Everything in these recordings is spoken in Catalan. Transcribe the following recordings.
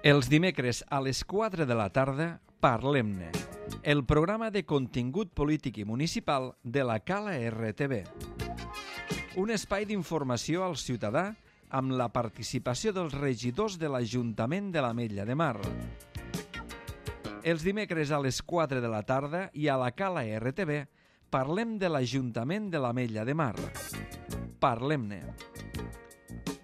Els dimecres a les 4 de la tarda, Parlem-ne, el programa de contingut polític i municipal de la Cala RTV. Un espai d'informació al ciutadà amb la participació dels regidors de l'Ajuntament de l'Ametlla de Mar. Els dimecres a les 4 de la tarda i a la Cala RTV parlem de l'Ajuntament de l'Ametlla de Mar. Parlem-ne.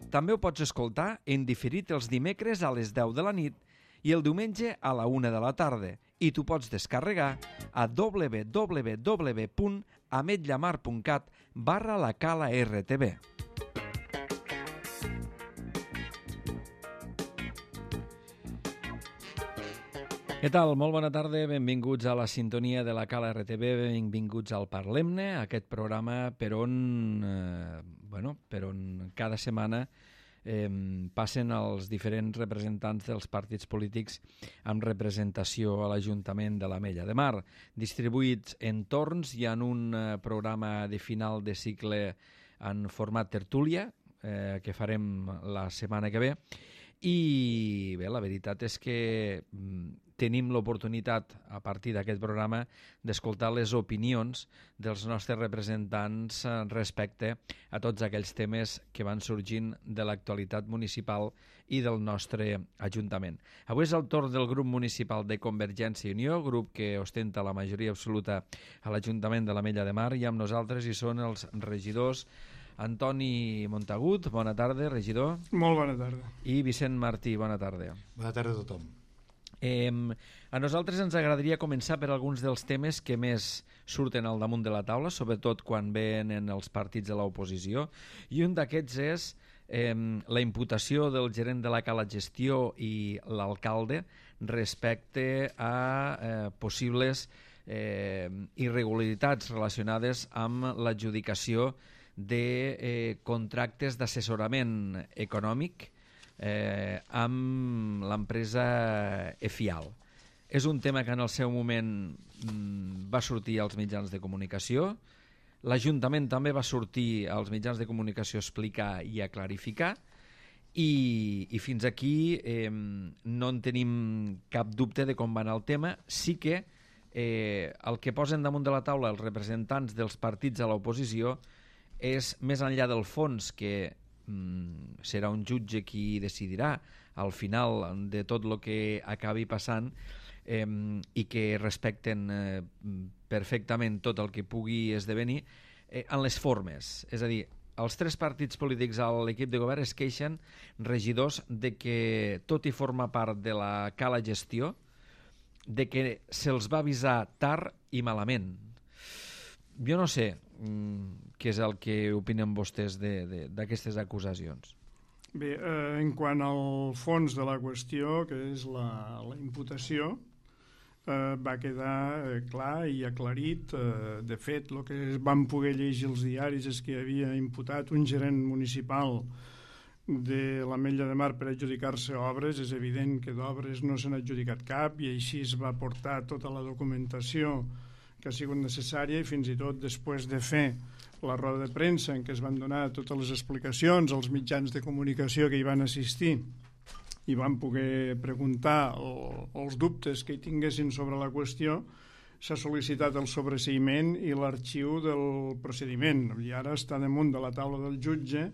També ho pots escoltar en diferit els dimecres a les 10 de la nit i el diumenge a la 1 de la tarda i t'ho pots descarregar a www.ametllamar.cat/la-cala-rtb. Què tal? Molt bona tarda, benvinguts a la sintonia de la Cala RTV, benvinguts al Parlem-ne, aquest programa per on cada setmana passen els diferents representants dels partits polítics amb representació a l'Ajuntament de l'Ametlla de Mar, distribuïts en torns i en un programa de final de cicle en format tertúlia, que farem la setmana que ve. I bé, la veritat és que tenim l'oportunitat, a partir d'aquest programa, d'escoltar les opinions dels nostres representants respecte a tots aquells temes que van sorgint de l'actualitat municipal i del nostre Ajuntament. Avui és el torn del grup municipal de Convergència i Unió, grup que ostenta la majoria absoluta a l'Ajuntament de l'Ametlla de Mar, i amb nosaltres hi són els regidors Antoni Montagut, bona tarda, regidor. Molt bona tarda. I Vicent Martí, bona tarda. Bona tarda a tothom. A nosaltres ens agradaria començar per alguns dels temes que més surten al damunt de la taula, sobretot quan venen els partits de l'oposició, i un d'aquests és la imputació del gerent de la Cala Gestió i l'alcalde respecte a possibles irregularitats relacionades amb l'adjudicació de contractes d'assessorament econòmic amb l'empresa EFIAL. És un tema que en el seu moment va sortir als mitjans de comunicació. L'Ajuntament també va sortir als mitjans de comunicació a explicar i a clarificar, i fins aquí no en tenim cap dubte de com va anar el tema. Sí que el que posen damunt de la taula els representants dels partits a l'oposició és, més enllà del fons, que serà un jutge qui decidirà al final de tot el que acabi passant, i que respecten perfectament tot el que pugui esdevenir, en les formes. És a dir, els tres partits polítics a l'equip de govern es queixen, regidors, de que tot i forma part de la Cala Gestió, de que se'ls va avisar tard i malament. Jo no sé què és el que opinen vostès d'aquestes acusacions. Bé, en quant al fons de la qüestió, que és la imputació, va quedar clar i aclarit. De fet, el que vam poder llegir als diaris és que havia imputat un gerent municipal de l'Ametlla de Mar per adjudicar-se obres. És evident que d'obres no se n'ha adjudicat cap, i així es va portar tota la documentació que ha sigut necessària, i fins i tot després de fer la roda de premsa en què es van donar totes les explicacions als mitjans de comunicació que hi van assistir i van poder preguntar els dubtes que hi tinguessin sobre la qüestió, s'ha sol·licitat el sobreseïment i l'arxiu del procediment, i ara està damunt de la taula del jutge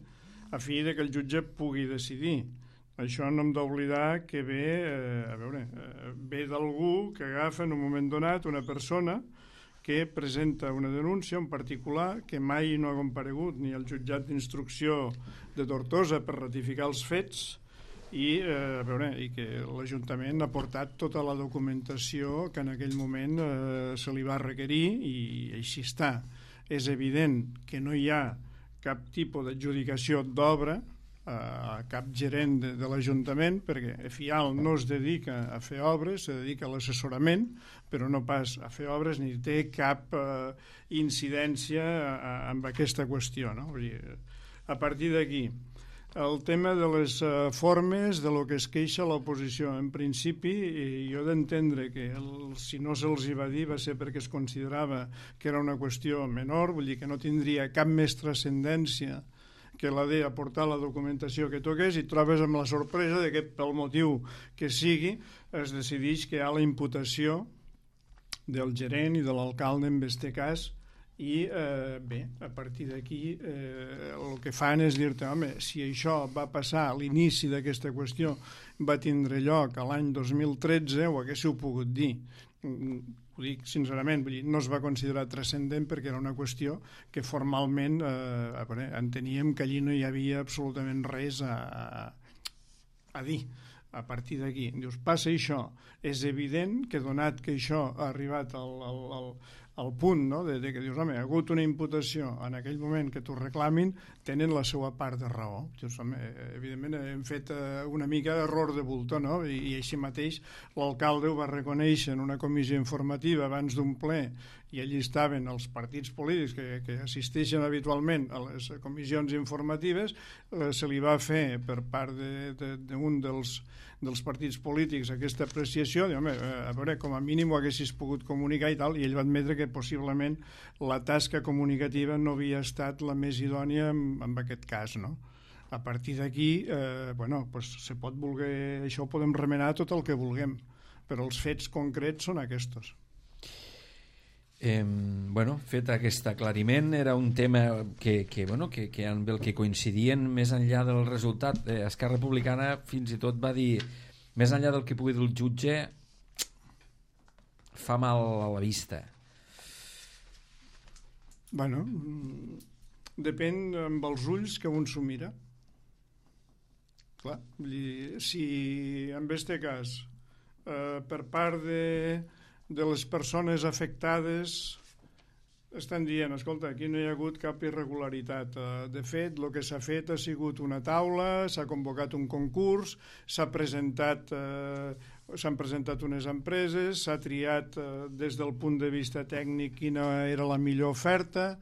a fi de que el jutge pugui decidir. Això no hem d'oblidar que ve d'algú que agafa en un moment donat una persona que presenta una denúncia en particular, que mai no ha comparegut ni al jutjat d'instrucció de Tortosa per ratificar els fets, i que l'Ajuntament ha portat tota la documentació que en aquell moment se li va requerir, i així està. És evident que no hi ha cap tipus d'adjudicació d'obra a cap gerent de l'Ajuntament, perquè EFIAL no es dedica a fer obres, se dedica a l'assessorament, però no pas a fer obres, ni té cap incidència amb aquesta qüestió, no? Vull dir, a partir d'aquí, el tema de les formes de lo que es queixa l'oposició. En principi, jo he d'entendre que si no se'ls hi va dir va ser perquè es considerava que era una qüestió menor, vull dir que no tindria cap més transcendència que l'ha d'aportar la documentació que toqués i trobes amb la sorpresa de que pel motiu que sigui es decideix que hi ha la imputació del gerent i de l'alcalde en aquest cas i bé, a partir d'aquí el que fan és dir-te, home, si això va passar a l'inici d'aquesta qüestió va tindre lloc a l'any 2013 ho haguéssiu pogut dir. Ho dic sincerament, vull dir, no es va considerar transcendent perquè era una qüestió que formalment enteníem que allí no hi havia absolutament res a dir. A partir d'aquí, dius, passa això, és evident que donat que això ha arribat al punt, no? de que dius, home, ha hagut una imputació en aquell moment que t'ho reclamin, tenen la seva part de raó. Dius, home, evidentment hem fet una mica d'error de bulto, no? I així mateix l'alcalde ho va reconèixer en una comissió informativa abans d'un ple i allí estaven els partits polítics que assisteixen habitualment a les comissions informatives, se li va fer per part d'un dels partits polítics aquesta apreciació, home, a veure, com a mínim ho haguessis pogut comunicar i tal, i ell va admetre que possiblement la tasca comunicativa no havia estat la més idònia en aquest cas, no? A partir d'aquí, se pot voler, això ho podem remenar tot el que vulguem, però els fets concrets són aquests. Fet aquest aclariment, era un tema que amb el que coincidien més enllà del resultat. Esquerra Republicana fins i tot va dir, més enllà del que pugui dir el jutge, fa mal a la vista. Bueno, depèn amb els ulls que un s'ho mira. Clar, si en aquest cas per part de les persones afectades estan dient, escolta, aquí no hi ha hagut cap irregularitat. De fet, el que s'ha fet ha sigut una taula, s'ha convocat un concurs, s'han presentat unes empreses, s'ha triat des del punt de vista tècnic quina era la millor oferta,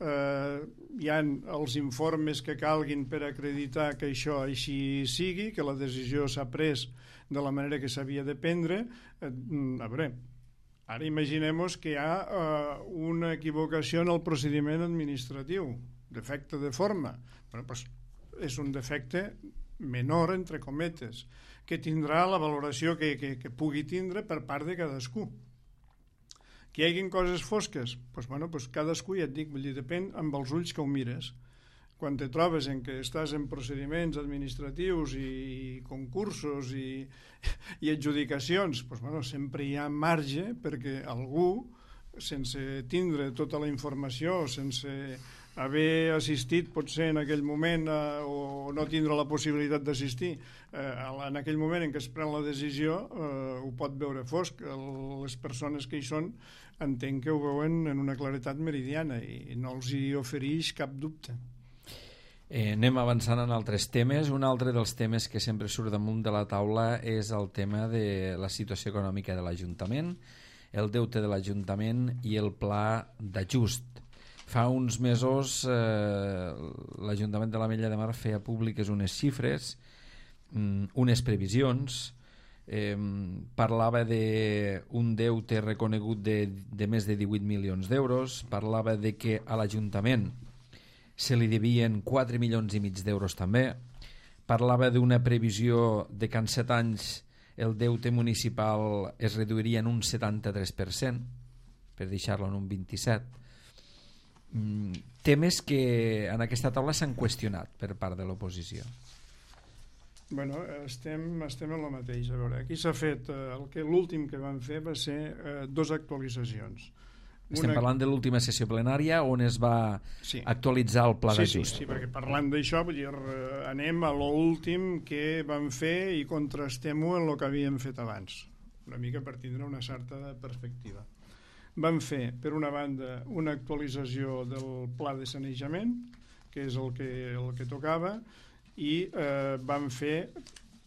hi ha els informes que calguin per acreditar que això així sigui, que la decisió s'ha pres de la manera que s'havia de prendre. A veure, ara imaginem-nos que hi ha una equivocació en el procediment administratiu, defecte de forma. És un defecte menor, entre cometes, que tindrà la valoració que pugui tindre per part de cadascú. Que hi hagin coses fosques? Cadascú, ja et dic, depèn amb els ulls que ho mires. Quan te trobes en que estàs en procediments administratius i concursos i adjudicacions, sempre hi ha marge perquè algú, sense tindre tota la informació, sense haver assistit potser en aquell moment o no tindre la possibilitat d'assistir, en aquell moment en què es pren la decisió ho pot veure fosc. Les persones que hi són entenc que ho veuen en una claretat meridiana i no els hi ofereix cap dubte. Anem avançant en altres temes. Un altre dels temes que sempre surt damunt de la taula és el tema de la situació econòmica de l'Ajuntament, el deute de l'Ajuntament i el pla d'ajust. Fa uns mesos l'Ajuntament de l'Ametlla de Mar feia públiques unes xifres, unes previsions, parlava d'un deute reconegut de més de 18 milions d'euros, parlava de que a l'Ajuntament se li devien 4 milions i mig d'euros també, parlava d'una previsió de que en 7 anys el deute municipal es reduiria en un 73%, per deixar-lo en un 27%. Temes que en aquesta taula s'han qüestionat per part de l'oposició. Estem en el mateix. A veure, aquí s'ha fet, l'últim que van fer va ser 2 actualitzacions. Estem parlant de l'última sessió plenària on es va actualitzar el pla d'ajust. Sí, perquè parlant d'això anem a l'últim que vam fer i contrastem-ho en el que havíem fet abans, una mica per tindre una certa perspectiva. Vam fer, per una banda, una actualització del pla de sanejament, que és el que tocava, i vam fer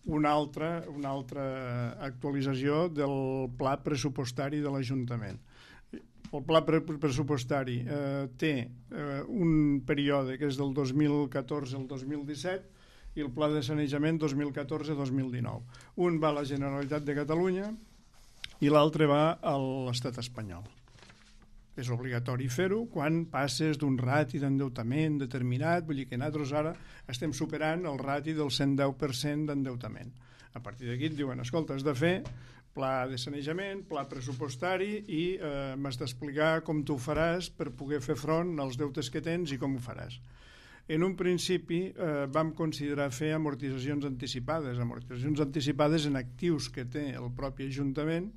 una altra actualització del pla pressupostari de l'Ajuntament. El pla pressupostari té un període que és del 2014 al 2017 i el pla de sanejament 2014-2019. Un va a la Generalitat de Catalunya i l'altre va a l'Estat espanyol. és obligatori fer-ho quan passes d'un rati d'endeutament determinat, vull dir que nosaltres ara estem superant el rati del 110% d'endeutament. A partir d'aquí et diuen, escolta, has de fer pla de sanejament, pla pressupostari i m'has d'explicar com tu ho faràs per poder fer front als deutes que tens i com ho faràs. En un principi vam considerar fer amortitzacions anticipades en actius que té el propi Ajuntament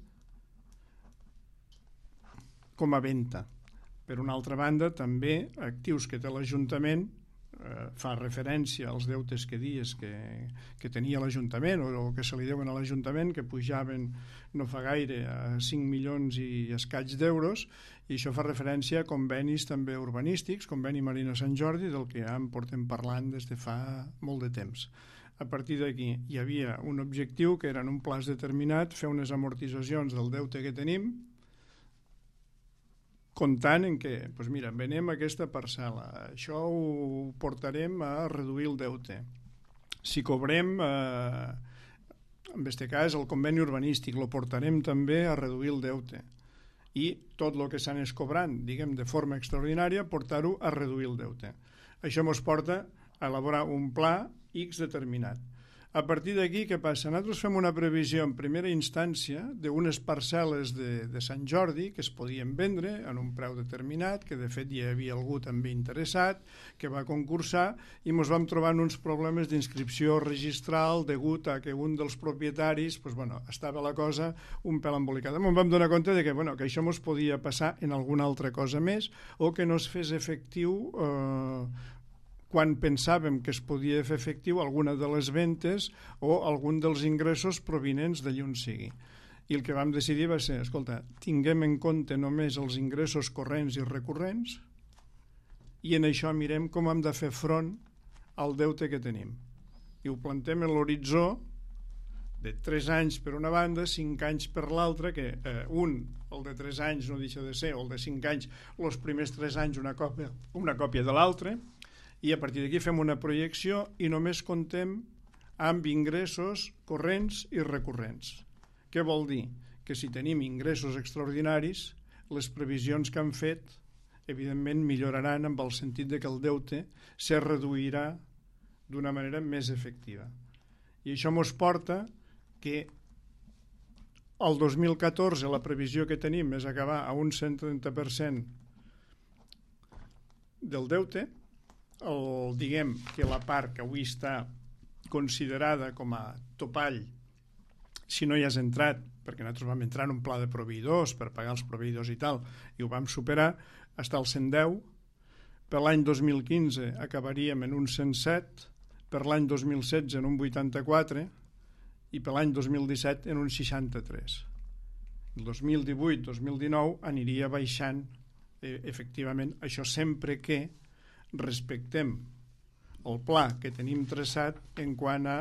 com a venda. Per una altra banda, també actius que té l'Ajuntament, fa referència als deutes que dies que tenia l'Ajuntament o que se li deuen a l'Ajuntament, que pujaven no fa gaire a 5 milions i escaig d'euros, i això fa referència a convenis també urbanístics, conveni Marina Sant Jordi, del que ja en portem parlant des de fa molt de temps. A partir d'aquí hi havia un objectiu que era en un plaç determinat fer unes amortitzacions del deute que tenim, comptant en què, doncs mira, venem aquesta parcel·la, això ho portarem a reduir el deute. Si cobrem, en aquest cas, el conveni urbanístic, lo portarem també a reduir el deute. I tot el que s'anés cobrant, diguem, de forma extraordinària, portar-ho a reduir el deute. Això ens porta a elaborar un pla X determinat. A partir d'aquí, què passa? Nosaltres fem una previsió en primera instància d'unes parcel·les de Sant Jordi que es podien vendre en un preu determinat, que de fet hi havia algú també interessat, que va concursar, i ens vam trobar uns problemes d'inscripció registral degut a que un dels propietaris, estava la cosa un pèl embolicada. Ens vam donar compte de que això ens podia passar en alguna altra cosa més o que no es fes efectiu quan pensàvem que es podia fer efectiu alguna de les ventes o algun dels ingressos provinents d'allí on sigui. I el que vam decidir va ser, escolta, tinguem en compte només els ingressos corrents i recurrents i en això mirem com hem de fer front al deute que tenim. I ho plantem en l'horitzó de 3 anys per una banda, 5 anys per l'altra, que el de 3 anys no deixa de ser, o el de 5 anys, els primers 3 anys una còpia de l'altre, i a partir d'aquí fem una projecció i només comptem amb ingressos corrents i recurrents. Què vol dir? Que si tenim ingressos extraordinaris, les previsions que han fet, evidentment, milloraran en el sentit de que el deute se reduirà d'una manera més efectiva. I això ens porta que el 2014 la previsió que tenim és acabar a un 130% del deute. Diguem que la part que avui està considerada com a topall, si no hi has entrat, perquè nosaltres vam entrar en un pla de proveïdors per pagar els proveïdors i tal, i ho vam superar, està al 110, per l'any 2015 acabaríem en un 107, per l'any 2016 en un 84 i per l'any 2017 en un 63. El 2018-2019 aniria baixant efectivament, això sempre que respectem el pla que tenim traçat en quant a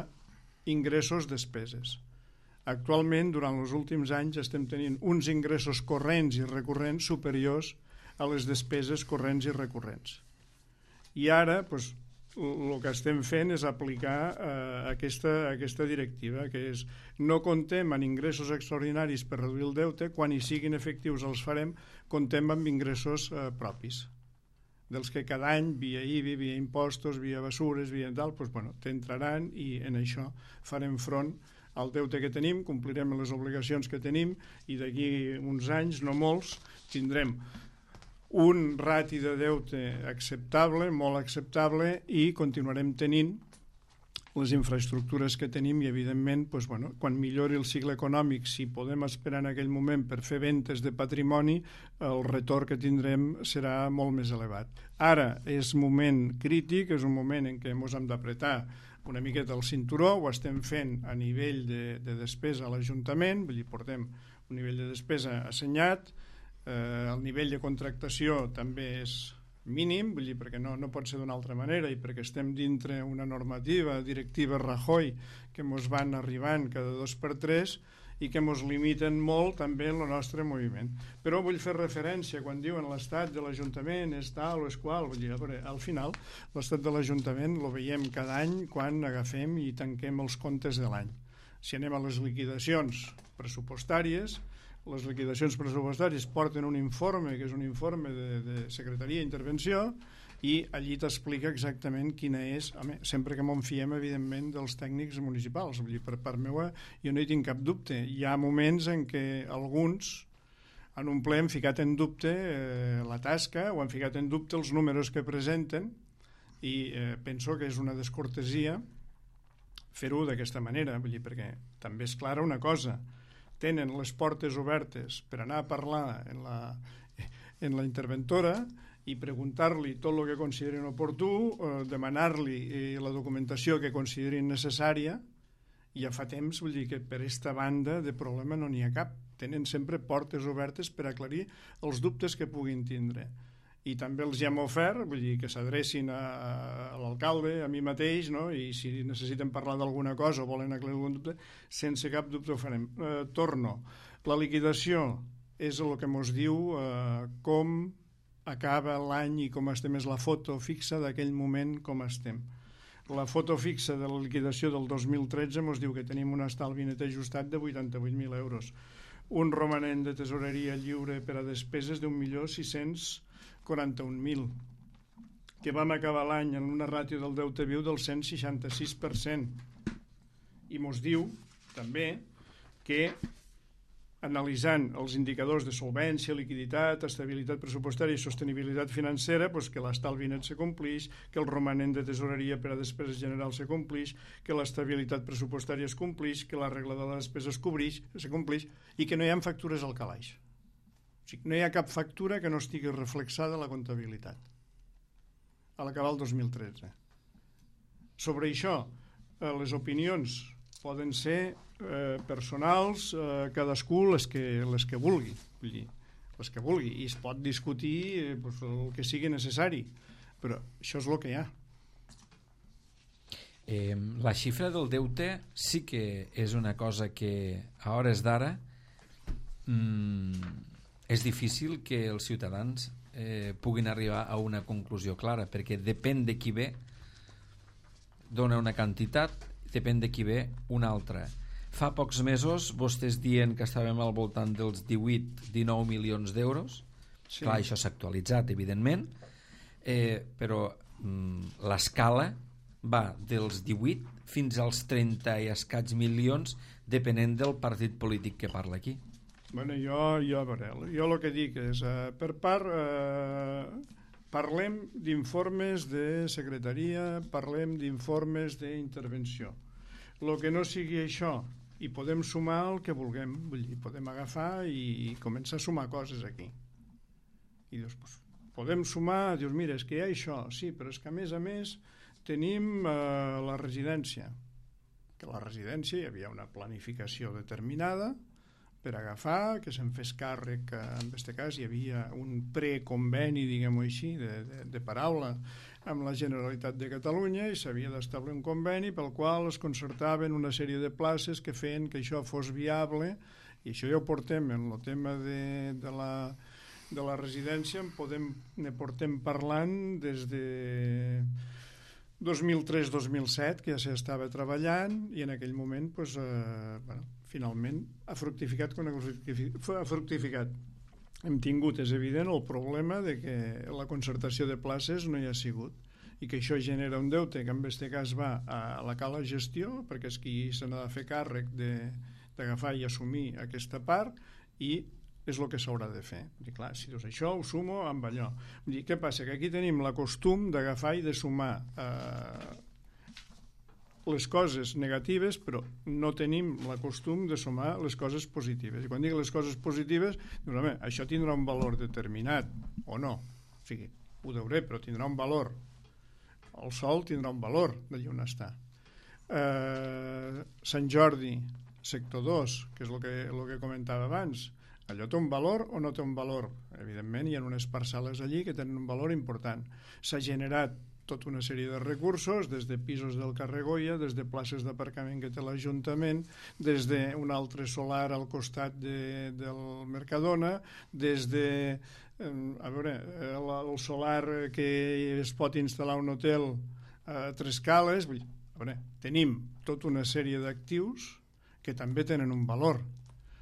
ingressos-despeses. Actualment, durant els últims anys, estem tenint uns ingressos corrents i recurrents superiors a les despeses corrents i recurrents. I ara, el que estem fent és aplicar aquesta directiva, que és no comptem en ingressos extraordinaris per reduir el deute, quan hi siguin efectius els farem, comptem amb ingressos propis, dels que cada any, via IBI, via impostos, via basures, via tal, t'entraran i en això farem front al deute que tenim, complirem les obligacions que tenim i d'aquí uns anys, no molts, tindrem un rati de deute acceptable, molt acceptable, i continuarem tenint les infraestructures que tenim i, evidentment, quan millori el cicle econòmic, si podem esperar en aquell moment per fer ventes de patrimoni, el retorn que tindrem serà molt més elevat. Ara és moment crític, és un moment en què ens hem d'apretar una miqueta el cinturó, ho estem fent a nivell de despesa a l'Ajuntament, vull dir, portem un nivell de despesa assenyat, el nivell de contractació també és mínim, vull dir, perquè no pot ser d'una altra manera i perquè estem dintre una normativa directiva Rajoy que ens van arribant cada 2x3 i que ens limiten molt també en el nostre moviment. Però vull fer referència quan diuen l'estat de l'Ajuntament és tal o és qual, vull dir, al final l'estat de l'Ajuntament el veiem cada any quan agafem i tanquem els comptes de l'any. Si anem a les liquidacions pressupostàries, les liquidacions pressupostàries porten un informe, que és un informe de Secretaria d'Intervenció, i allí t'explica exactament quina és, sempre que m'en fiem, evidentment, dels tècnics municipals. Vull dir, per part meva, jo no hi tinc cap dubte. Hi ha moments en què alguns en un ple han ficat en dubte la tasca o han ficat en dubte els números que presenten, i penso que és una descortesia fer-ho d'aquesta manera, vull dir, perquè també és clara una cosa: tenen les portes obertes per anar a parlar en la interventora i preguntar-li tot el que considerin oportú, demanar-li la documentació que considerin necessària, i ja fa temps, vull dir, que per aquesta banda de problema no n'hi ha cap. Tenen sempre portes obertes per aclarir els dubtes que puguin tindre. I també els hem ofert, vull dir, que s'adrecin a l'alcalde, a mi mateix, no? I si necessiten parlar d'alguna cosa o volen aclarir algun dubte, sense cap dubte ho farem. Torno. La liquidació és el que ens diu com acaba l'any i com estem, és la foto fixa d'aquell moment com estem. La foto fixa de la liquidació del 2013 ens diu que tenim un estalvi net ajustat de 88.000 euros, un romanent de tesoreria lliure per a despeses d'1.641.000, que vam acabar l'any en una ràtio del deute viu del 166%, i ens diu també que, analitzant els indicadors de solvència, liquiditat, estabilitat pressupostària i sostenibilitat financera, doncs que l'estalvi net se complix, que el romanent de tesoreria per a despeses generals se complix, que l'estabilitat pressupostària es complix, que la regla de la despesa se complix, i que no hi ha factures al calaix. O sigui, no hi ha cap factura que no estigui reflexada a la comptabilitat a l'acabar el 2013. Sobre això, les opinions poden ser personals, cadascú les que vulgui, vull dir, les que vulgui, i es pot discutir el que sigui necessari, però això és el que hi ha. La xifra del deute sí que és una cosa que a hores d'ara és difícil que els ciutadans puguin arribar a una conclusió clara, perquè depèn de qui ve dona una quantitat, depèn de qui ve una altra. Fa pocs mesos vostès dient que estàvem al voltant dels 18-19 milions d'euros. Sí. Clar, això s'ha actualitzat, evidentment, però l'escala va dels 18 fins als 30 i escaig milions, depenent del partit polític que parla aquí. Bueno, jo el que dic és, per part, parlem d'informes de secretaria, parlem d'informes d'intervenció. El que no sigui això, i podem sumar el que vulguem, vull dir, podem agafar i començar a sumar coses aquí. I dius, pues, podem sumar, dius, mira, és que hi ha això, sí, però és que a més tenim la residència, que la residència hi havia una planificació determinada per agafar, que se'n fes càrrec, en aquest cas hi havia un preconveni, diguem-ho així, de paraula, amb la Generalitat de Catalunya, i s'havia d'establir un conveni pel qual es concertaven una sèrie de places que feien que això fos viable, i això ja ho portem en el tema de la residència, ne portem parlant des de 2003-2007, que ja s'estava treballant, i en aquell moment finalment ha fructificat quan ha fructificat. Hem tingut, és evident, el problema de que la concertació de places no hi ha sigut, i que això genera un deute que en aquest cas va a la cala gestió, perquè és qui se n'ha de fer càrrec d'agafar i assumir aquesta part, i és el que s'haurà de fer. I clar, si dius això ho sumo amb allò. Vull dir, què passa? Que aquí tenim la costum d'agafar i de sumar les coses negatives, però no tenim la costum de sumar les coses positives. I quan dic les coses positives, dius, home, això tindrà un valor determinat, o no. O sigui, ho deuré, però tindrà un valor. El sol tindrà un valor d'allà on està. Sant Jordi, sector 2, que és el que comentava abans, allò té un valor o no té un valor? Evidentment, hi ha unes parcel·les allí que tenen un valor important. S'ha generat tota una sèrie de recursos, des de pisos del carrer Goya, des de places d'aparcament que té l'Ajuntament, des d'un altre solar al costat del Mercadona, des de el solar que es pot instal·lar un hotel a Tres Cales. Tenim tota una sèrie d'actius que també tenen un valor.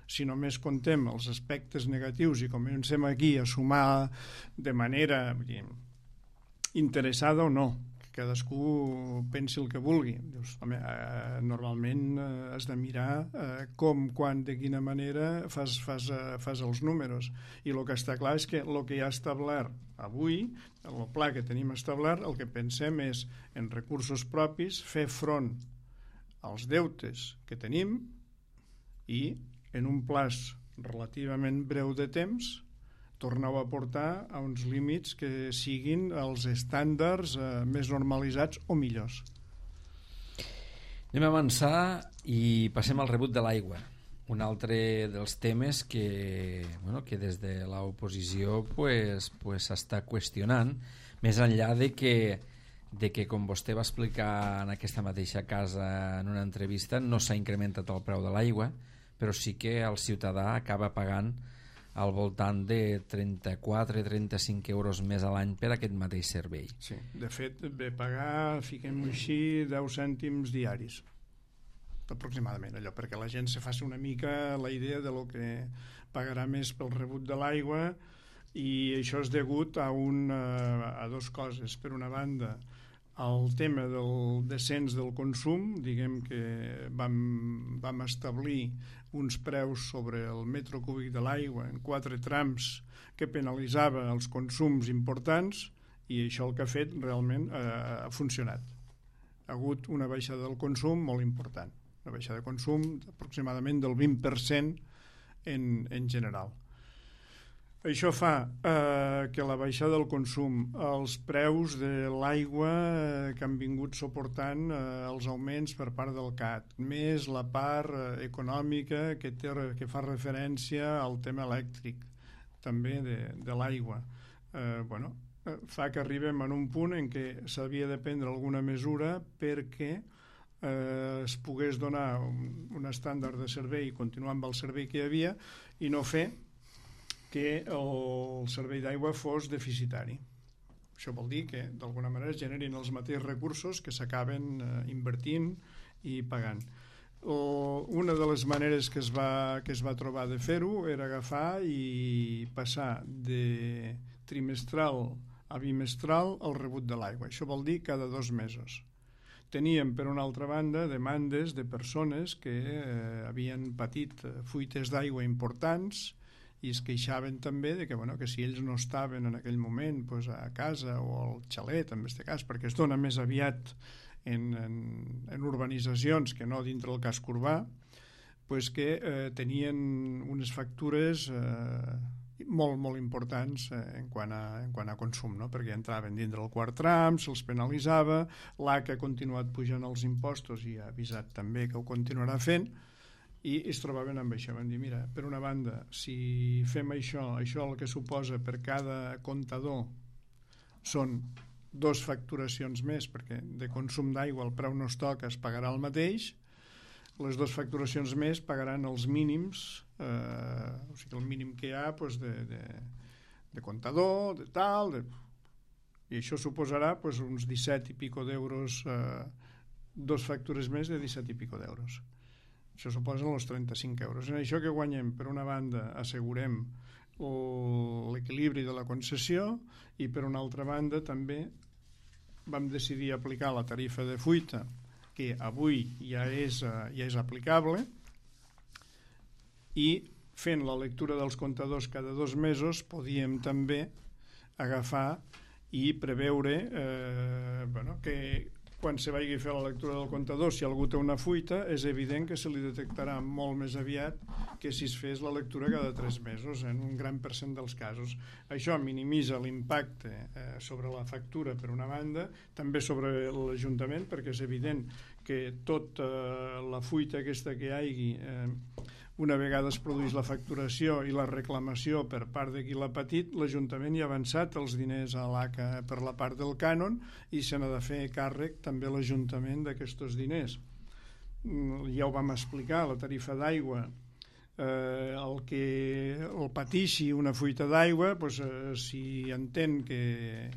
si només contem els aspectes negatius i comencem aquí a sumar de manera interessada o no, que cadascú pensi el que vulgui. Dius, home, normalment has de mirar com, quan, de quina manera fas els números. I el que està clar és que el que hi ha establert avui, el pla que tenim establert, el que pensem és, en recursos propis, fer front als deutes que tenim i, en un plaç relativament breu de temps, torneu a portar a uns límits que siguin els estàndards més normalitzats o millors. Anem a avançar i passem al rebut de l'aigua. Un altre dels temes que des de l'oposició s'està qüestionant, més enllà de que, com vostè va explicar en aquesta mateixa casa en una entrevista, no s'ha incrementat el preu de l'aigua, però sí que el ciutadà acaba pagant al voltant de 34-35 euros més a l'any per aquest mateix servei. Sí, de fet, ve pagar, fiquem-ho així, 10 cèntims diaris, aproximadament, allò, perquè la gent se faci una mica la idea de lo que pagarà més pel rebut de l'aigua, i això és degut a dues coses. Per una banda, el tema del descens del consum, diguem que vam establir uns preus sobre el metro cúbic de l'aigua en 4 trams que penalitzava els consums importants, i això el que ha fet realment ha funcionat. Ha hagut una baixada del consum molt important, una baixada de consum aproximadament del 20% en general. Això fa que la baixada del consum, els preus de l'aigua que han vingut suportant els augments per part del CAT, més la part econòmica que fa referència al tema elèctric, també de l'aigua, fa que arribem en un punt en què s'havia de prendre alguna mesura perquè es pogués donar un estàndard de servei i continuar amb el servei que hi havia i no fer que el servei d'aigua fos deficitari. Això vol dir que d'alguna manera es generin els mateixos recursos que s'acaben invertint i pagant. Una de les maneres que es va trobar de fer-ho era agafar i passar de trimestral a bimestral el rebut de l'aigua. Això vol dir cada 2 mesos. Teníem, per una altra banda, demandes de persones que havien patit fuites d'aigua importants i es queixaven també de que si ells no estaven en aquell moment a casa o al xalet, en aquest cas, perquè es dona més aviat en urbanitzacions que no dintre el casc urbà, que tenien unes factures molt, molt importants en quant a consum, no? Perquè entraven dintre el quart tram, se'ls penalitzava, l'ACA ha continuat pujant els impostos i ha avisat també que ho continuarà fent, i es trobaven amb això. Van dir, mira, per una banda, si fem això el que suposa per cada comptador són 2 facturacions més, perquè de consum d'aigua el preu no es toca, es pagarà el mateix, les 2 facturacions més pagaran els mínims, o sigui, el mínim que hi ha de comptador, de tal, i això suposarà uns 17 i pico d'euros, 2 factures més de 17 i pico d'euros. Això suposen els 35 euros. En això que guanyem, per una banda, assegurem l'equilibri de la concessió i per una altra banda també vam decidir aplicar la tarifa de fuita, que avui ja és aplicable, i fent la lectura dels comptadors cada 2 mesos podíem també agafar i preveure que quan se vagi a fer la lectura del comptador, si algú té una fuita, és evident que se li detectarà molt més aviat que si es fes la lectura cada 3 mesos, en un gran percent dels casos. Això minimitza l'impacte sobre la factura, per una banda, també sobre l'Ajuntament, perquè és evident que tota la fuita aquesta que hi hagi, una vegada es produeix la facturació i la reclamació per part de qui l'ha patit, l'Ajuntament hi ha avançat els diners a l'ACA per la part del cànon i se n'ha de fer càrrec també l'Ajuntament d'aquests diners. Ja ho vam explicar, la tarifa d'aigua, el que el pateixi una fuita d'aigua, si entén que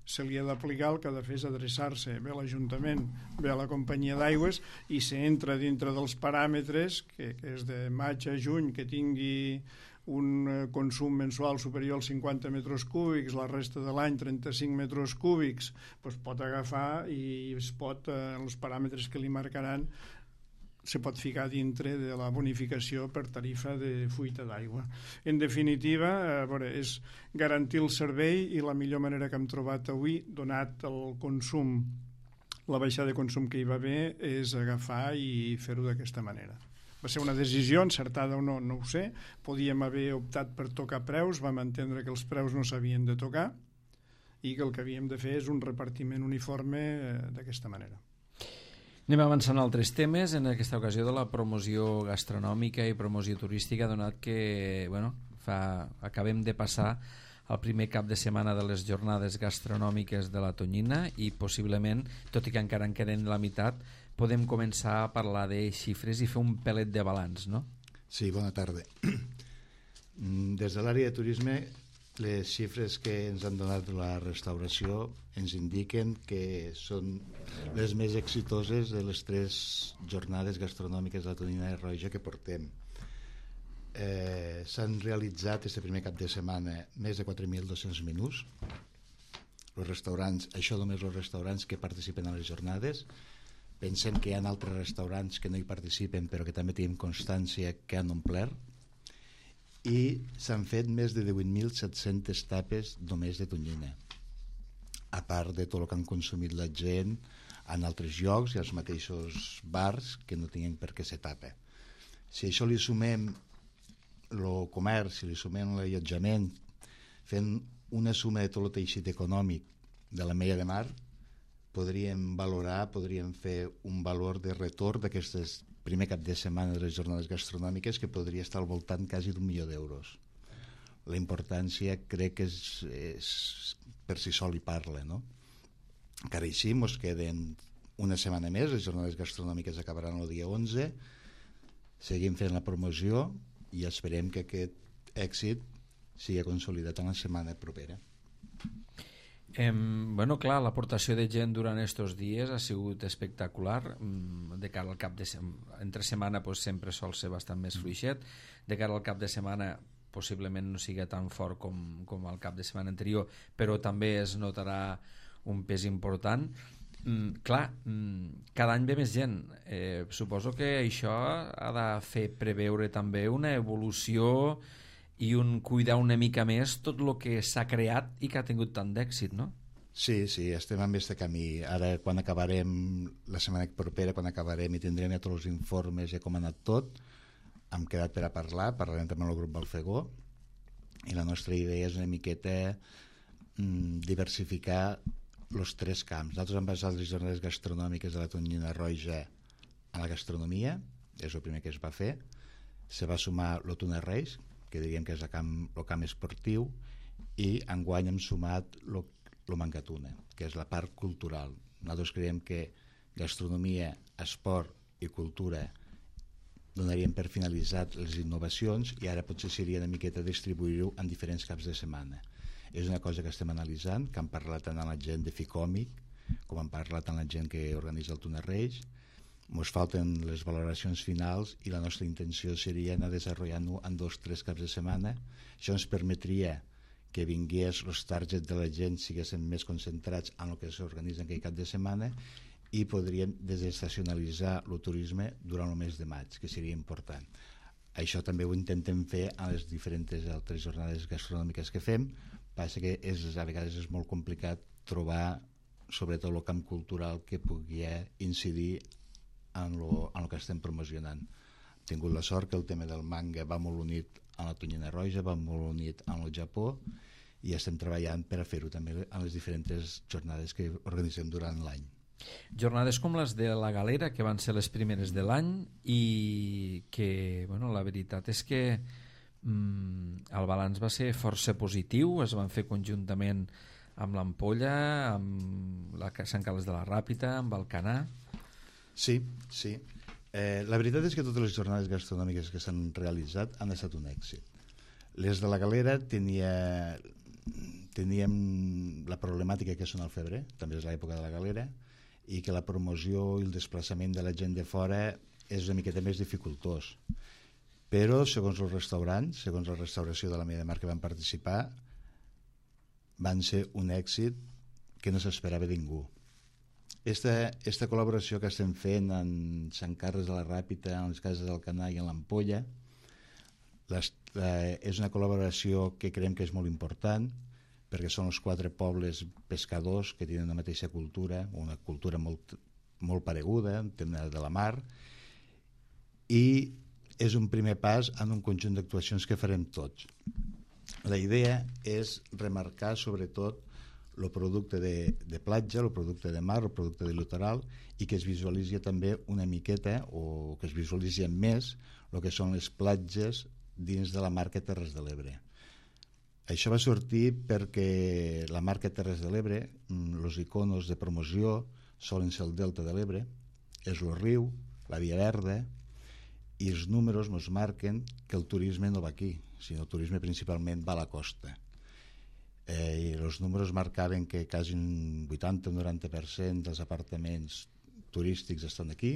se li ha d'aplicar, el que ha de fer és adreçar-se bé a l'Ajuntament, bé a la companyia d'aigües, i si entra dintre dels paràmetres, que és de maig a juny, que tingui un consum mensual superior als 50 metres cúbics, la resta de l'any 35 metres cúbics, doncs pot agafar i es pot, els paràmetres que li marcaran, se pot ficar dintre de la bonificació per tarifa de fuita d'aigua. En definitiva, és garantir el servei, i la millor manera que hem trobat avui, donat el consum, la baixada de consum que hi va haver, és agafar i fer-ho d'aquesta manera. Va ser una decisió encertada o no, no ho sé. Podíem haver optat per tocar preus, vam entendre que els preus no s'havien de tocar i que el que havíem de fer és un repartiment uniforme d'aquesta manera. Anem avançant a altres temes, en aquesta ocasió de la promoció gastronòmica i promoció turística, donat que acabem de passar el primer cap de setmana de les jornades gastronòmiques de la Tonyina i possiblement, tot i que encara en queden la meitat, podem començar a parlar de xifres i fer un pelet de balanç, no? Sí, bona tarda. Des de l'àrea de turisme, les xifres que ens han donat la restauració ens indiquen que són les més exitoses de les 3 jornades gastronòmiques de la Tonyina de Roja que portem. S'han realitzat este primer cap de setmana més de 4.200 menús. Els restaurants, això només els restaurants que participen a les jornades. Pensem que hi ha altres restaurants que no hi participen però que també tenim constància que han omplert, i s'han fet més de 18.700 tapes només de tonyina, a part de tot el que han consumit la gent en altres llocs i als mateixos bars que no tenien per què ser tapa. Si això li sumem el comerç, si li sumem l'allotjament, fent una suma de tot el teixit econòmic de la Mella de Mar, podríem fer un valor de retorn d'aquestes primer cap de setmana de les jornades gastronòmiques que podria estar al voltant quasi d'1 milió d'euros. La importància crec que és per si sol hi parla, no? Encara així ens queden una setmana més, les jornades gastronòmiques acabaran el dia 11, seguim fent la promoció i esperem que aquest èxit sigui consolidat en la setmana propera. Clar, l'aportació de gent durant aquests dies ha sigut espectacular. De cara al cap de setmana, entre setmana sempre sol ser bastant més fluixet. De cara al cap de setmana possiblement no sigui tan fort com el cap de setmana anterior, però també es notarà un pes important. Cada any ve més gent. Suposo que això ha de fer preveure també una evolució i cuidar una mica més tot el que s'ha creat i que ha tingut tant d'èxit, no? Sí, estem en aquest camí. Ara, quan acabarem la setmana propera, quan acabarem i tindrem ja tots els informes i com ha anat tot, hem quedat per a parlarem també amb el grup Balfegó, i la nostra idea és una miqueta diversificar els 3 camps. Nosaltres hem basat les jornades gastronòmiques de la Tonyina Roja a la gastronomia, és el primer que es va fer. Se va sumar l'Otuna Reis, que diríem que és el camp esportiu, i enguany hem sumat el Mancatuna, que és la part cultural. Nosaltres creiem que gastronomia, esport i cultura donaríem per finalitzat les innovacions i ara potser seria una miqueta distribuir-ho en diferents caps de setmana. És una cosa que estem analitzant, que hem parlat tant amb la gent de Ficòmic com hem parlat amb la gent que organitza el Tuna Reis. Ens falten les valoracions finals i la nostra intenció seria anar desenvolupant-ho en 2-3 caps de setmana. Això ens permetria que vingués els targets de la gent siguessin més concentrats en el que s'organitza en aquell cap de setmana i podríem desestacionalitzar el turisme durant el mes de maig, que seria important. Això també ho intentem fer a les diferents altres jornades gastronòmiques que fem. Passa que a vegades és molt complicat trobar sobretot el camp cultural que pugui incidir en el que estem promocionant. Hem tingut la sort que el tema del manga va molt unit a la Tonyina Roja, va molt unit amb el Japó, i estem treballant per a fer-ho també en les diferents jornades que organitzem durant l'any. Jornades com les de la Galera, que van ser les primeres de l'any i que, la veritat és que el balanç va ser força positiu. Es van fer conjuntament amb l'Ampolla, amb Sant Carles de la Ràpita, amb Alcanar. Sí. La veritat és que totes les jornades gastronòmiques que s'han realitzat han estat un èxit. Les de la Galera teníem la problemàtica que són al febrer, també és l'època de la galera, i que la promoció i el desplaçament de la gent de fora és una miqueta més dificultós. Però, segons els restaurants, segons la restauració de la Media Mar que van participar, van ser un èxit que no s'esperava ningú. Esta col·laboració que estem fent en Sant Carles de la Ràpita, en les Cases d'Alcanar i en l'Ampolla, és una col·laboració que creiem que és molt important, perquè són els 4 pobles pescadors que tenen la mateixa cultura, una cultura molt, molt pareguda, en tema de la mar, i és un primer pas en un conjunt d'actuacions que farem tots. La idea és remarcar sobretot el producte de platja, el producte de mar, el producte de litoral, i que es visualitzi també una miqueta, o que es visualitzi més, el que són les platges dins de la marca Terres de l'Ebre. Això va sortir perquè la marca Terres de l'Ebre, els iconos de promoció solen ser el Delta de l'Ebre, és el riu, la Via Verda, i els números ens marquen que el turisme no va aquí, sinó el turisme principalment va a la costa. I els números marcaven que quasi un 80 o 90% dels apartaments turístics estan aquí,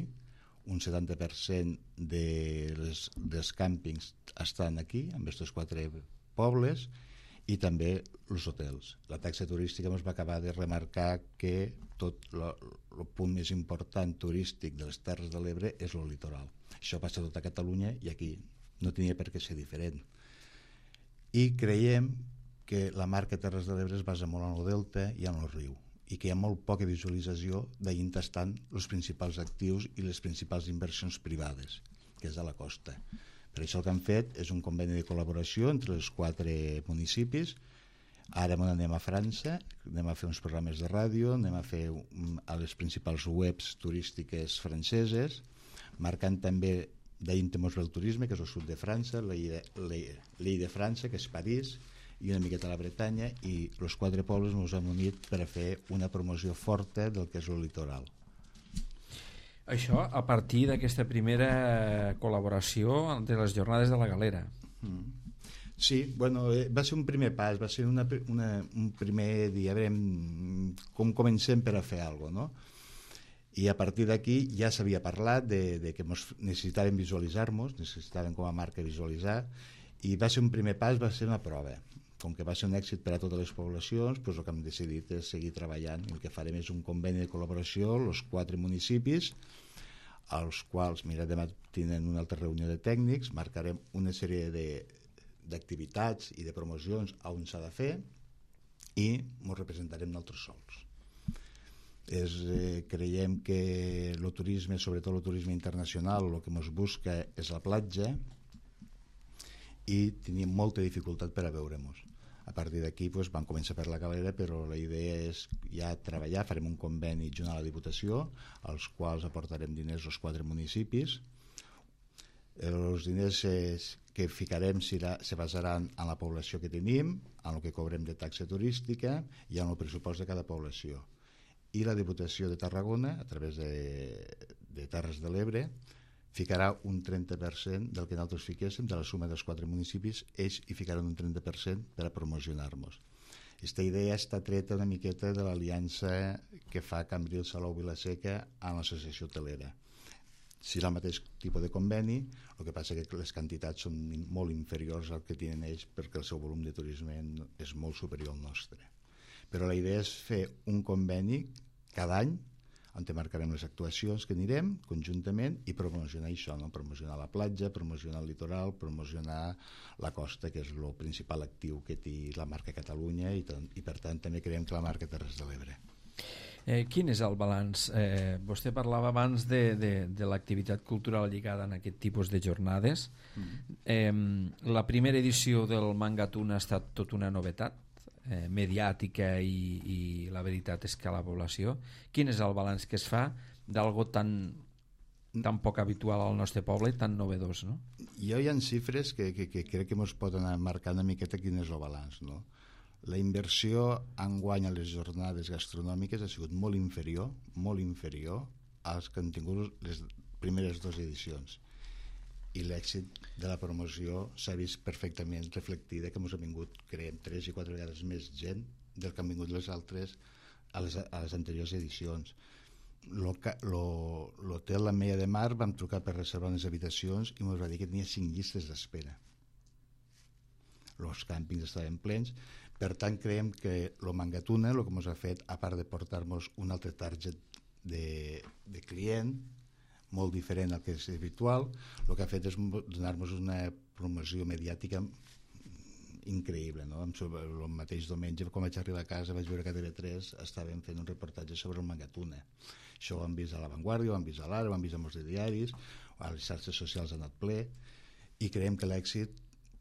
un 70% dels càmpings estan aquí, amb aquests 4 pobles, i també els hotels. La taxa turística ens va acabar de remarcar que tot el punt més important turístic de les Terres de l'Ebre és el litoral. Això passa a tota Catalunya i aquí no tenia per què ser diferent. I creiem que la marca Terres de l'Ebre es basa molt en el delta i en el riu, i que hi ha molt poca visualització d'ahir tastant els principals actius i les principals inversions privades, que és a la costa. Per això el que han fet és un conveni de col·laboració entre els 4 municipis. Ara anem a França, anem a fer uns programes de ràdio, anem a fer a les principals webs turístiques franceses, marcant també d'ahir mos ve el turisme, que és el sud de França, l'Ille de França, que és París, i una miqueta la Bretanya, i els 4 pobles ens han unit per a fer una promoció forta del que és el litoral. Això a partir d'aquesta primera col·laboració de les jornades de la Galera. Sí, bueno, va ser un primer pas, va ser un primer dia, a veure com comencem per a fer alguna cosa, no? I a partir d'aquí ja s'havia parlat de que necessitàvem visualitzar-nos, necessitàvem com a marca visualitzar, i va ser un primer pas, va ser una prova. Com que va ser un èxit per a totes les poblacions, doncs el que hem decidit és seguir treballant. El que farem és un conveni de col·laboració, els 4 municipis, als quals, mira, demà tenen una altra reunió de tècnics, marcarem una sèrie d'activitats i de promocions on s'ha de fer i ens representarem nosaltres sols. Creiem que el turisme, sobretot el turisme internacional, el que ens busca és la platja, i teníem molta dificultat per a veure-nos. A partir d'aquí vam començar per la Galera, però la idea és ja treballar, farem un conveni junt a la Diputació, als quals aportarem diners als 4 municipis. Els diners que ficarem se basaran en la població que tenim, en el que cobrem de taxa turística i en el pressupost de cada població. I la Diputació de Tarragona, a través de Terres de l'Ebre, ficarà un 30% del que nosaltres fiquéssim, de la suma dels 4 municipis, ells hi ficaran un 30% per a promocionar-nos. Aquesta idea està treta una miqueta de l'aliança que fa Cambrils, Salou, Vilaseca amb l'associació hotelera. Serà el mateix tipus de conveni, el que passa que les quantitats són molt inferiors al que tenen ells perquè el seu volum de turisme és molt superior al nostre. Però la idea és fer un conveni cada any on marcarem les actuacions que anirem conjuntament i promocionar això, no? Promocionar la platja, promocionar el litoral, promocionar la costa, que és el principal actiu que té la marca Catalunya, i per tant també creiem que la marca Terres de l'Ebre. Quin és el balanç? Vostè parlava abans de l'activitat cultural lligada a aquest tipus de jornades. La primera edició del Mangatuna ha estat tot una novetat mediàtica i la veritat és que a la població. Quin és el balanç que es fa d'algo tan poc habitual al nostre poble i tan novedós, no? Hi ha xifres que crec que ens poden marcar una miqueta quin és el balanç, no? La inversió enguany a les jornades gastronòmiques ha sigut molt inferior als que han tingut les primeres 2 edicions. i l'èxit de la promoció s'ha vist perfectament reflectida, que ens ha vingut, creiem, 3 i 4 vegades més gent del que han vingut les altres a les anteriors edicions. L'hotel L'Ametlla de Mar vam trucar per reservar unes habitacions i ens va dir que tenia 5 llistes d'espera. Els càmpings estaven plens. Per tant, creiem que el Mangatuna, el que ens ha fet, a part de portar-nos un altre target de client molt diferent al que és habitual, el que ha fet és donar-nos una promoció mediàtica increïble, no? El mateix diumenge, quan vaig arribar a casa, vaig veure que a TV3 estaven fent un reportatge sobre el Mangatuna. Això ho han vist a La Vanguardia, ho han vist a l'Ara, ho han vist a molts diaris, a les xarxes socials ha anat ple, i creiem que l'èxit,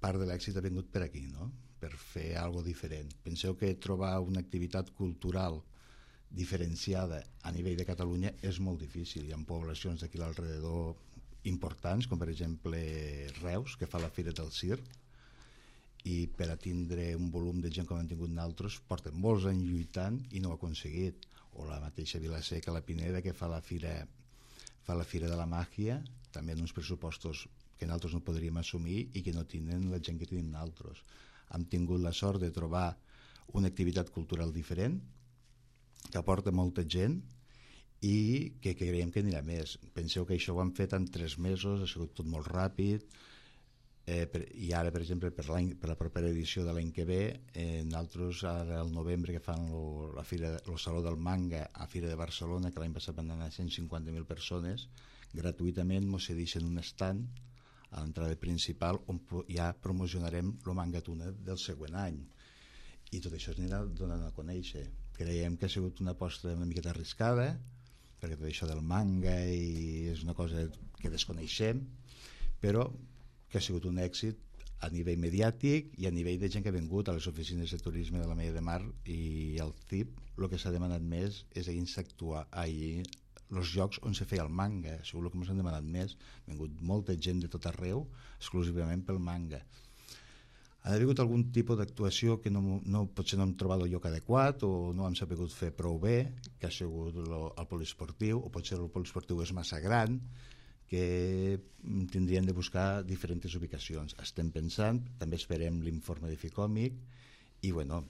part de l'èxit ha vingut per aquí, no? Per fer alguna cosa diferent. Penseu que trobar una activitat cultural diferenciada a nivell de Catalunya és molt difícil. Hi ha poblacions d'aquí a l'alrededor importants, com per exemple Reus, que fa la Fira del Circ, i per a tindre un volum de gent com han tingut nosaltres porten molts anys lluitant i no ho ha aconseguit. O la mateixa Vila-seca, la Pineda, que fa la Fira de la Màgia, també en uns pressupostos que nosaltres no podríem assumir i que no tenen la gent que tenim nosaltres. Hem tingut la sort de trobar una activitat cultural diferent que aporta molta gent i que creiem que anirà més. Penseu que això ho han fet en 3 mesos, ha sigut tot molt ràpid, i ara, per exemple, per la propera edició de l'any que ve, nosaltres ara al novembre, que fan el Saló del Manga a Fira de Barcelona, que l'any passat van anar 150.000 persones, gratuïtament ens cedeixen un stand a l'entrada principal on ja promocionarem el Mangatuna del següent any, i tot això es anirà donant a conèixer. Creiem que ha sigut una aposta una miqueta arriscada, perquè tot això del manga i és una cosa que desconeixem, però que ha sigut un èxit a nivell mediàtic i a nivell de gent que ha vingut a les oficines de turisme de l'Ametlla de Mar i al CIP. El que s'ha demanat més és actuar allí els llocs on se feia el manga, segur que ens han demanat més. Ha vingut molta gent de tot arreu exclusivament pel manga. Ha hagut algun tipus d'actuació que potser no hem trobat el lloc adequat o no hem sabut fer prou bé, que ha sigut el poliesportiu, o potser el poliesportiu és massa gran, que tindrien de buscar diferents ubicacions. Estem pensant, també esperem l'informe de Ficòmic i bueno,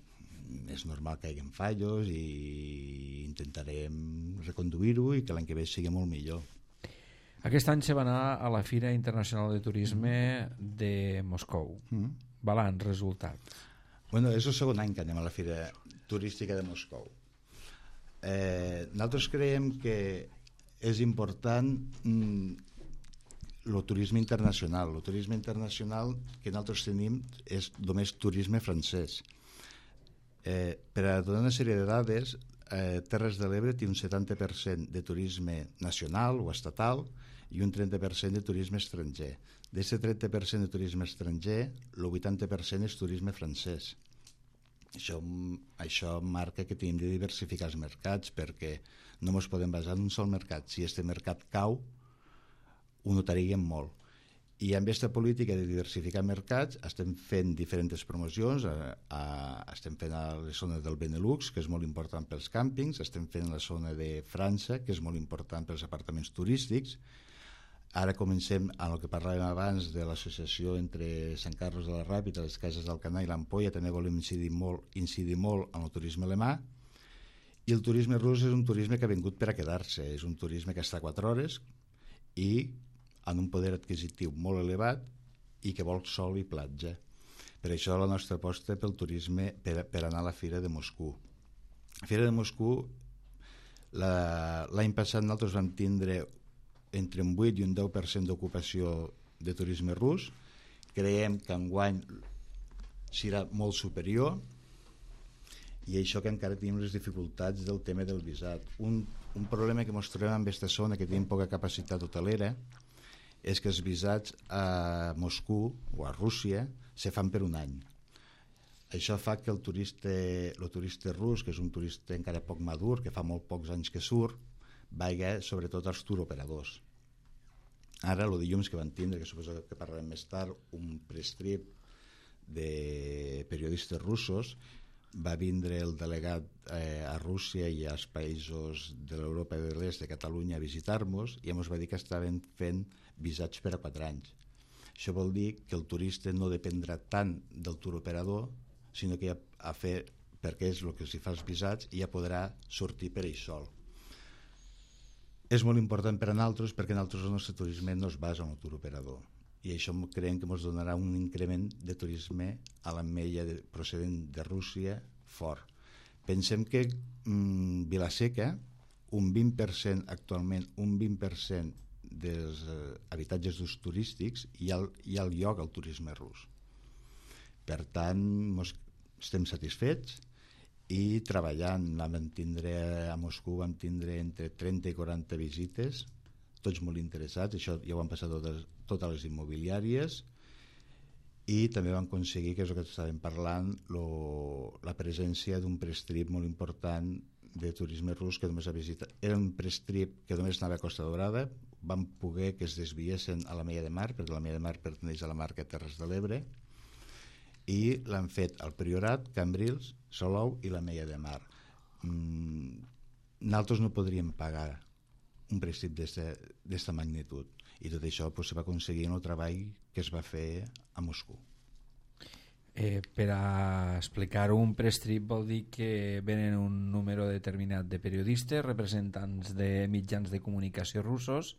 és normal que hi hagi fallos i intentarem reconduir-ho i que l'any que ve sigui molt millor. Aquest any se va anar a la Fira Internacional de Turisme de Moscou. Balanç, resultat. Bueno, és el segon any que anem a la Fira Turística de Moscou. Nosaltres creiem que és important el turisme internacional. El turisme internacional que nosaltres tenim és només turisme francès. Per a donar una sèrie de dades, Terres de l'Ebre té un 70% de turisme nacional o estatal i un 30% de turisme estranger. D'aquest 30% de turisme estranger, el 80% és turisme francès. Això marca que tenim de diversificar els mercats, perquè no ens podem basar en un sol mercat. Si aquest mercat cau, ho notaríem molt. I amb aquesta política de diversificar mercats estem fent diferents promocions, estem fent a les zones del Benelux, que és molt important pels càmpings, estem fent a la zona de França, que és molt important pels apartaments turístics. Ara comencem amb el que parlàvem abans de l'associació entre Sant Carlos de la Ràpita, les Cases d'Alcanar i l'Ampolla. També volem incidir molt en el turisme alemà. I el turisme rus és un turisme que ha vingut per a quedar-se. És un turisme que està 4 hores i amb un poder adquisitiu molt elevat i que vol sol i platja. Per això la nostra aposta pel turisme per anar a la Fira de Moscou. La Fira de Moscou, l'any passat nosaltres vam tindre entre un 8 i un 10% d'ocupació de turisme rus. Creiem que enguany serà molt superior, i això que encara tenim les dificultats del tema del visat. Un problema que ens trobem en aquesta zona, que tenim poca capacitat hotelera, és que els visats a Moscou o a Rússia se fan per un any. Això fa que el turista rus, que és un turista encara poc madur, que fa molt pocs anys que surt, vagi sobretot als turoperadors. Ara, el dilluns que van tindre, que suposo que parlarem més tard, un prestrip de periodistes russos, va vindre el delegat a Rússia i als països de l'Europa de l'Est, de Catalunya, a visitar-nos, i ens va dir que estaven fent visats per a 4 anys. Això vol dir que el turista no dependrà tant del turoperador, sinó que ja a fer, perquè és el que s'hi fa els visats, i ja podrà sortir per ell sol. És molt important per a nosaltres perquè nosaltres el nostre turisme no es basa en el turoperador, i això creiem que ens donarà un increment de turisme a l'Ametlla procedent de Rússia fort. Pensem que Vila-seca, un 20% actualment, un 20% dels habitatges d'ús turístics hi ha el lloc al turisme rus. Per tant, estem satisfets i treballant. A Moscou vam tindre entre 30 i 40 visites, tots molt interessats, això ja ho han passat totes les immobiliàries, i també vam aconseguir, que és el que estàvem parlant, la presència d'un prestrip molt important de turisme rus que només ha visitat. Era un prestrip que només anava a Costa Daurada, vam poder que es desviessin a l'Ametlla de Mar, perquè l'Ametlla de Mar perteneix a la marca Terres de l'Ebre, i l'han fet al Priorat, Cambrils, Salou i l'Ametlla de Mar. Nosaltres no podríem pagar un prestrip d'esta magnitud, i tot això se va aconseguir en el treball que es va fer a Moscou. Per a explicar-ho, un prestrip vol dir que venen un número determinat de periodistes, representants de mitjans de comunicació russos,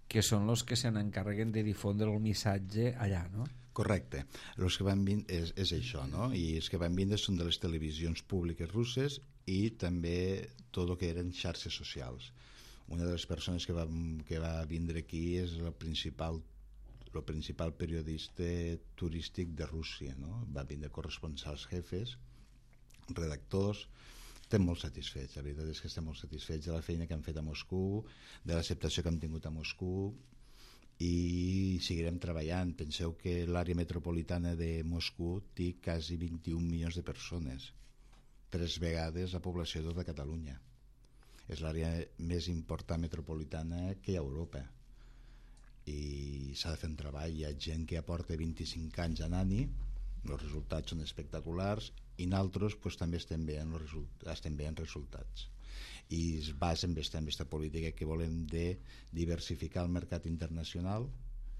que són els que se n'encarreguen de difondre el missatge allà, no? Correcte. Els que van vindre és això, no? I els que van vindre són de les televisions públiques russes i també tot el que eren xarxes socials. Una de les persones que va vindre aquí és el principal periodista turístic de Rússia, no? Va vindre corresponsals jefes, redactors. Estem molt satisfets, la veritat és que estem molt satisfets de la feina que hem fet a Moscou, de l'acceptació que hem tingut a Moscou, i seguirem treballant. Penseu que l'àrea metropolitana de Moscou té quasi 21 milions de persones, 3 vegades la població de tota Catalunya. És l'àrea més important metropolitana que hi ha a Europa, i s'ha de fer un treball. Hi ha gent que aporta 25 anys anant-hi, els resultats són espectaculars, i nosaltres també estem veient resultats, i es basa en aquesta política que volem de diversificar el mercat internacional.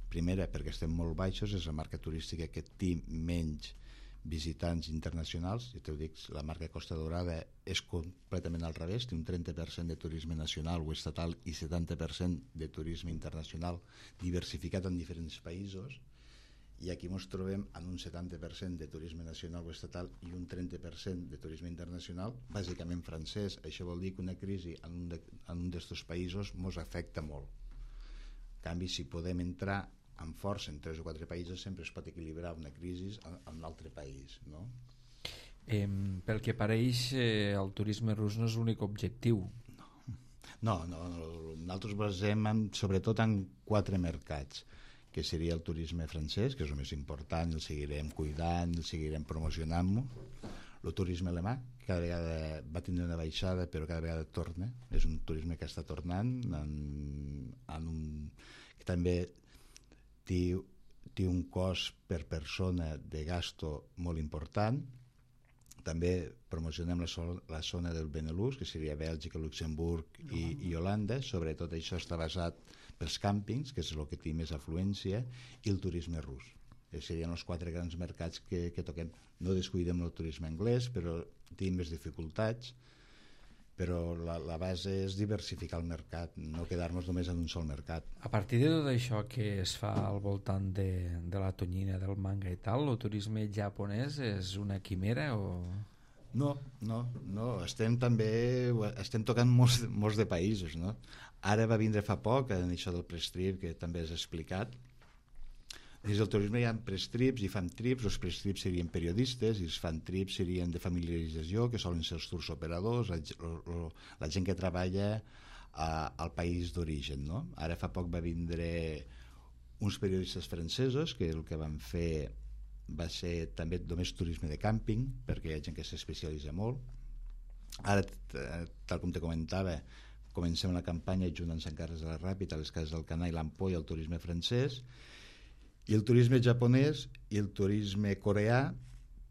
Primera, perquè estem molt baixos, és la marca turística que té menys visitants internacionals. I t'ho dic, la marca Costa Daurada és completament al revés, té un 30% de turisme nacional o estatal i 70% de turisme internacional diversificat en diferents països, i aquí ens trobem en un 70% de turisme nacional o estatal i un 30% de turisme internacional, bàsicament francès. Això vol dir que una crisi en un d'aquests països ens afecta molt. En canvi, si podem entrar amb força en 3 o 4 països, sempre es pot equilibrar una crisi en un altre país, no? Pel que pareix, el turisme rus no és l'únic objectiu. No, nosaltres basem sobretot en 4 mercats, que seria el turisme francès, que és el més important, el seguirem cuidant, el seguirem promocionant-lo. El turisme alemà, que cada vegada va tindre una baixada, però cada vegada torna. És un turisme que està tornant, que també té un cost per persona de gasto molt important. També promocionem la zona del Benelux, que seria Bèlgica, Luxemburg i Holanda. Sobretot això està basat pels càmpings, que és el que té més afluència, i el turisme rus. Serien els 4 grans mercats que toquem. No descuidem el turisme anglès, però tenim més dificultats. Però la base és diversificar el mercat, no quedar-nos només en un sol mercat. A partir de tot això que es fa al voltant de la tonyina, del manga i tal, el turisme japonès és una quimera o...? No, estem tocant molts de països, no? Ara va vindre fa poc en això del prestrip, que també has explicat. Dins del turisme hi ha prestrips i fan trips. Els prestrips serien periodistes i els fan trips serien de familiarització, que solen ser els tours operadors, la gent que treballa al país d'origen, no? Ara fa poc va vindre uns periodistes francesos que el que van fer va ser també només turisme de càmping, perquè hi ha gent que s'especialitza molt. Ara, tal com te comentava, comencem la campanya junt amb Sant Carles de la Ràpita, a les Cases del Canà i l'Ampolla, el turisme francès, i el turisme japonès i el turisme coreà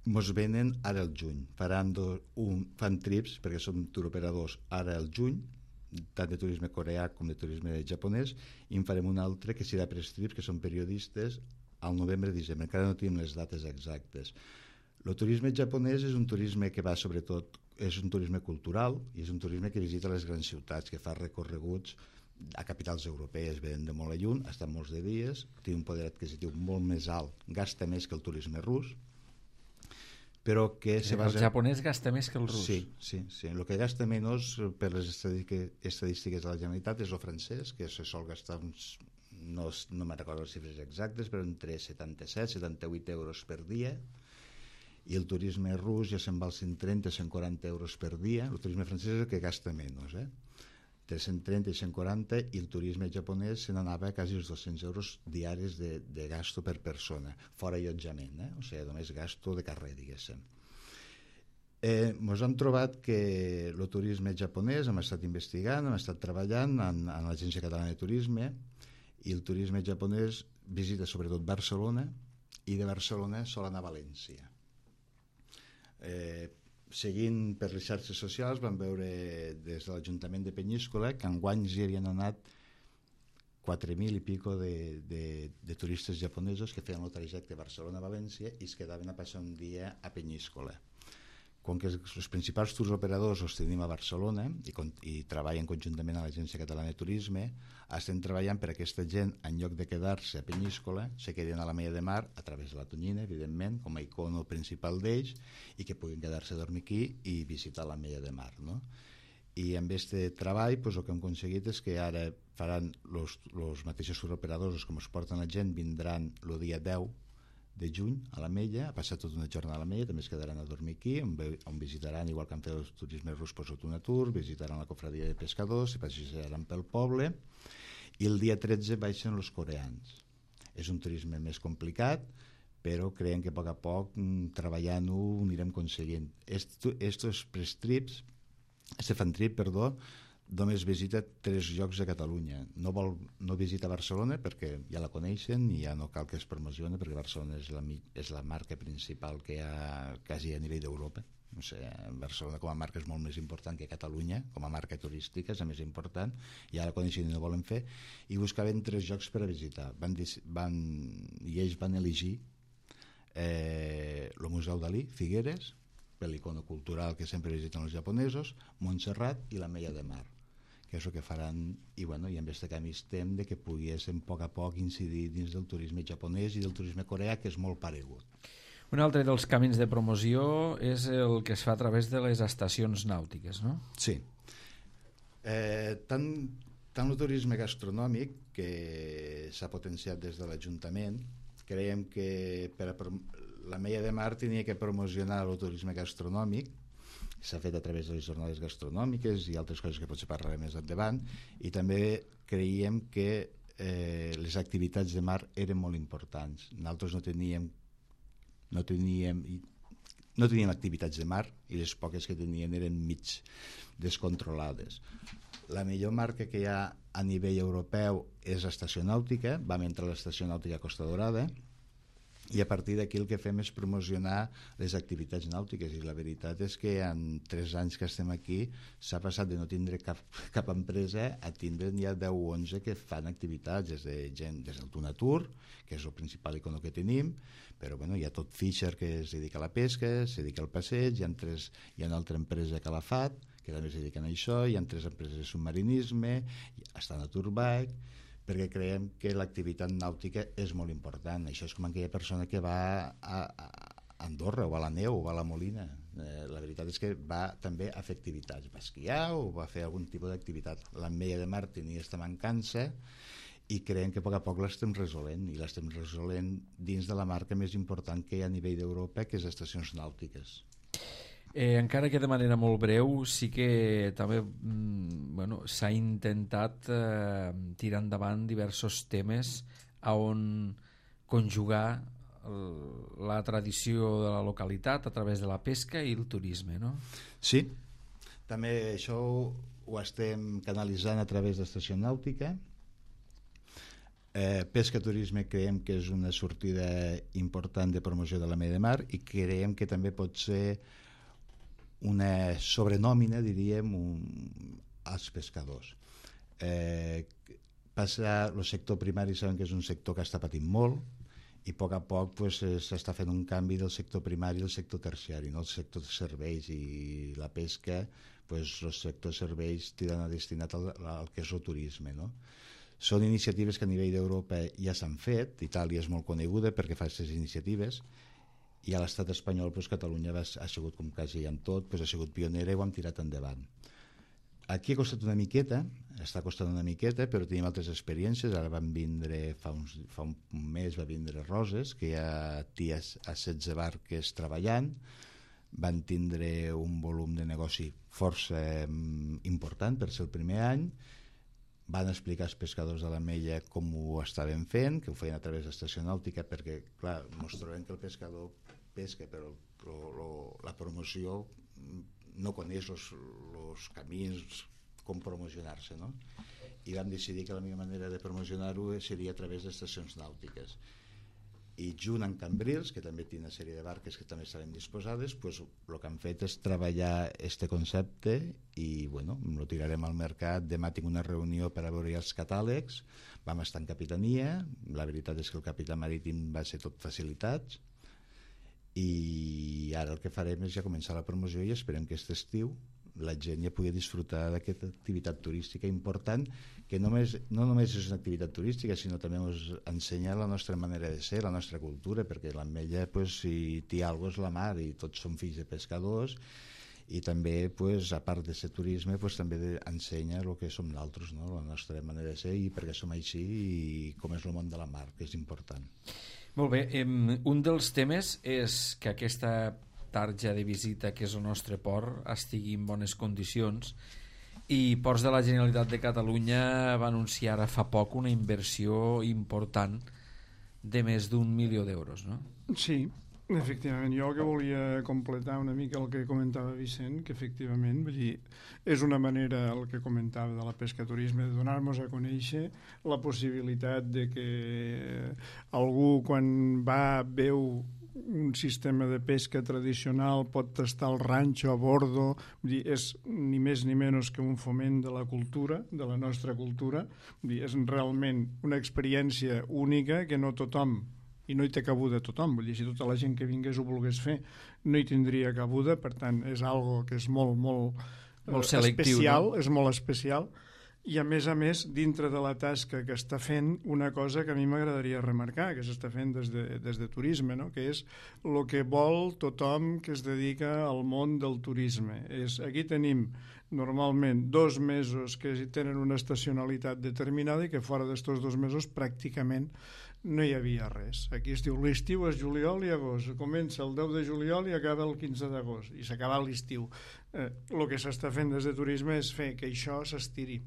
ens venen ara al juny. Fan trips, perquè són turoperadors, ara al juny, tant de turisme coreà com de turisme japonès, i en farem un altre que serà prestrips, que són periodistes al novembre-desembre, encara no tenim les dates exactes. El turisme japonès és un turisme que va sobretot, és un turisme cultural i és un turisme que visita les grans ciutats, que fa recorreguts a capitals europees, venen de molt a lluny, estan molts de dies, té un poder adquisitiu molt més alt, gasta més que el turisme rus, però que el japonès gasta més que el rus. Sí. El que gasta menys per les estadístiques de la Generalitat és el francès, que se sol gastar uns, no me'n recordo les xifres exactes, però entre 77 i 78 euros per dia, i el turisme rus ja se'n va als 130-140 euros per dia. El turisme francès és el que gasta menys, entre 130 i 140, i el turisme japonès se n'anava a quasi els 200 euros diaris de gasto per persona, fora allotjament, o sigui, només gasto de carrer, diguéssim. Ens hem trobat que el turisme japonès, hem estat investigant, hem estat treballant en l'Agència Catalana de Turisme, i el turisme japonès visita sobretot Barcelona, i de Barcelona sol anar a València. Seguint per les xarxes socials vam veure des de l'Ajuntament de Penyíscola que enguany hi havien anat 4.000 i pico de turistes japonesos que feien el trajecte Barcelona-València i es quedaven a passar un dia a Penyíscola. Com que els principals tours operadors els tenim a Barcelona i treballen conjuntament a l'Agència Catalana de Turisme, estem treballant per aquesta gent, en lloc de quedar-se a Penyíscola, se quedin a la Mella de Mar a través de la Tonyina, evidentment, com a icono principal d'ells, i que puguin quedar-se a dormir aquí i visitar la Mella de Mar, no? I amb aquest treball el que hem aconseguit és que ara faran els mateixos tours operadors com es porten la gent, vindran el dia 10 de juny a la Mella, a passar tota una jornada a la Mella, també es quedaran a dormir aquí, on visitaran, igual que han fet els turismes rus, un tour, visitaran la cofradia de pescadors, se passejaran pel poble, i el dia 13 baixen els coreans. És un turisme més complicat, però creiem que a poc, treballant-ho, ho anirem aconseguint. Estos fan trip, només visita 3 llocs de Catalunya. No visita Barcelona perquè ja la coneixen i ja no cal que es promocioni, perquè Barcelona és la marca principal que hi ha quasi a nivell d'Europa. O sigui, Barcelona com a marca és molt més important que Catalunya, com a marca turística és la més important, ja la coneixen i no volen fer, i buscaven 3 llocs per a visitar. I ells van elegir el Museu Dalí, Figueres, per l'icono cultural que sempre visiten els japonesos, Montserrat i la Mella de Mar, que és el que faran, i amb aquest canvi estem de que poguéssim a poc incidir dins del turisme japonès i del turisme coreà, que és molt paregut. Un altre dels camins de promoció és el que es fa a través de les estacions nàutiques, no? Sí. Tant el turisme gastronòmic, que s'ha potenciat des de l'Ajuntament, creiem que la Mella de Mar tenia que promocionar el turisme gastronòmic, s'ha fet a través de les jornades gastronòmiques i altres coses que potser parlarem més endavant, i també creiem que les activitats de mar eren molt importants. Nosaltres no teníem activitats de mar i les poques que tenien eren mig descontrolades. La millor marca que hi ha a nivell europeu és l'estació nàutica, vam entrar a l'estació nàutica Costa Dorada, i a partir d'aquí el que fem és promocionar les activitats nàutiques, i la veritat és que en 3 anys que estem aquí s'ha passat de no tindre cap empresa a tindre ja 10 o 11 que fan activitats, des del Tunatur, que és el principal icono que tenim, però hi ha tot Fisher, que es dedica a la pesca, es dedica al passeig, hi ha una altra empresa, Calafat, que també es dediquen a això, hi ha 3 empreses de submarinisme, està Naturbike, perquè creiem que l'activitat nàutica és molt important. Això és com aquella persona que va a Andorra o a la neu o a la Molina. La veritat és que va també a fer activitats, va esquiar o va fer algun tipus d'activitat. La Mella de Mar tenia aquesta mancança i creiem que a poc l'estem resolent, i l'estem resolent dins de la marca més important que hi ha a nivell d'Europa, que és estacions nàutiques. Encara que de manera molt breu, sí que també s'ha intentat tirar endavant diversos temes on conjugar la tradició de la localitat a través de la pesca i el turisme, no? Sí, també això ho estem canalitzant a través d'estació nàutica. Pesca-turisme creiem que és una sortida important de promoció de la Mella de Mar, i creiem que també pot ser una sobrenòmina, diríem, als pescadors. El sector primari sabem que és un sector que està patint molt i a poc pues, s'està fent un canvi del sector primari al sector terciari, no? El sector de serveis i la pesca, pues, el sector de serveis tiren a destinat al que és el turisme, no? Són iniciatives que a nivell d'Europa ja s'han fet. Itàlia és molt coneguda perquè fa aquestes iniciatives, i a l'estat espanyol pues, Catalunya ha sigut, com quasi en tot, pues, ha sigut pionera i ho hem tirat endavant. Aquí ha costat una miqueta, està costant una miqueta, però tenim altres experiències. Ara van vindre, fa un mes va vindre Roses, que hi ha ties a 16 barques treballant, van tindre un volum de negoci força important per ser el primer any, van explicar als pescadors de l'Ametlla com ho estaven fent, que ho feien a través d'estació nàutica, perquè, clar, ens trobem que el pescador pesca, però la promoció no coneix els camins com promocionar-se, no? I vam decidir que la millor manera de promocionar-ho seria a través d'estacions nàutiques. I junt amb Cambrils, que també té una sèrie de barques que també estaven disposades, pues, el que han fet és treballar este concepte i bueno, lo tirarem al mercat. Demà tinc una reunió per a veure els catàlegs, vam estar en capitania, la veritat és que el capità marítim va ser tot facilitats, i ara el que farem és ja començar la promoció i esperem que aquest estiu la gent ja pugui disfrutar d'aquesta activitat turística important, que no només és una activitat turística, sinó també ens ensenya la nostra manera de ser, la nostra cultura, perquè l'Ametlla, pues, si té alguna cosa és la mar, i tots som fills de pescadors, i també, pues, a part de ser turisme, pues, també ensenya el que som nosaltres, no? La nostra manera de ser i perquè som així i com és el món de la mar, que és important. Molt bé, un dels temes és que aquesta tarja de visita, que és el nostre port, estigui en bones condicions, i Ports de la Generalitat de Catalunya va anunciar ara fa poc una inversió important de més d'1 milió d'euros, no? Sí, efectivament. Jo el que volia completar una mica el que comentava Vicent, que efectivament, vull dir, és una manera, el que comentava de la pescaturisme, de donar-nos a conèixer la possibilitat de que algú, quan veu un sistema de pesca tradicional, pot tastar el ranxo a bordo, vull dir, és ni més ni menys que un foment de la cultura, de la nostra cultura. Vull dir, és realment una experiència única que no tothom, i no hi té cabuda tothom, vull dir, si tota la gent que vingués ho volgués fer, no hi tindria cabuda. Per tant, és algo que és molt selectiu, especial, no? És molt especial. I a més, dintre de la tasca que està fent, una cosa que a mi m'agradaria remarcar, que s'està fent des de turisme, no? Que és el que vol tothom que es dedica al món del turisme. Aquí tenim normalment 2 mesos que tenen una estacionalitat determinada i que fora d'estos 2 mesos pràcticament no hi havia res. Aquí es diu l'estiu és juliol i agost, comença el 10 de juliol i acaba el 15 d'agost i s'acaba l'estiu. El que s'està fent des de turisme és fer que això s'estiri.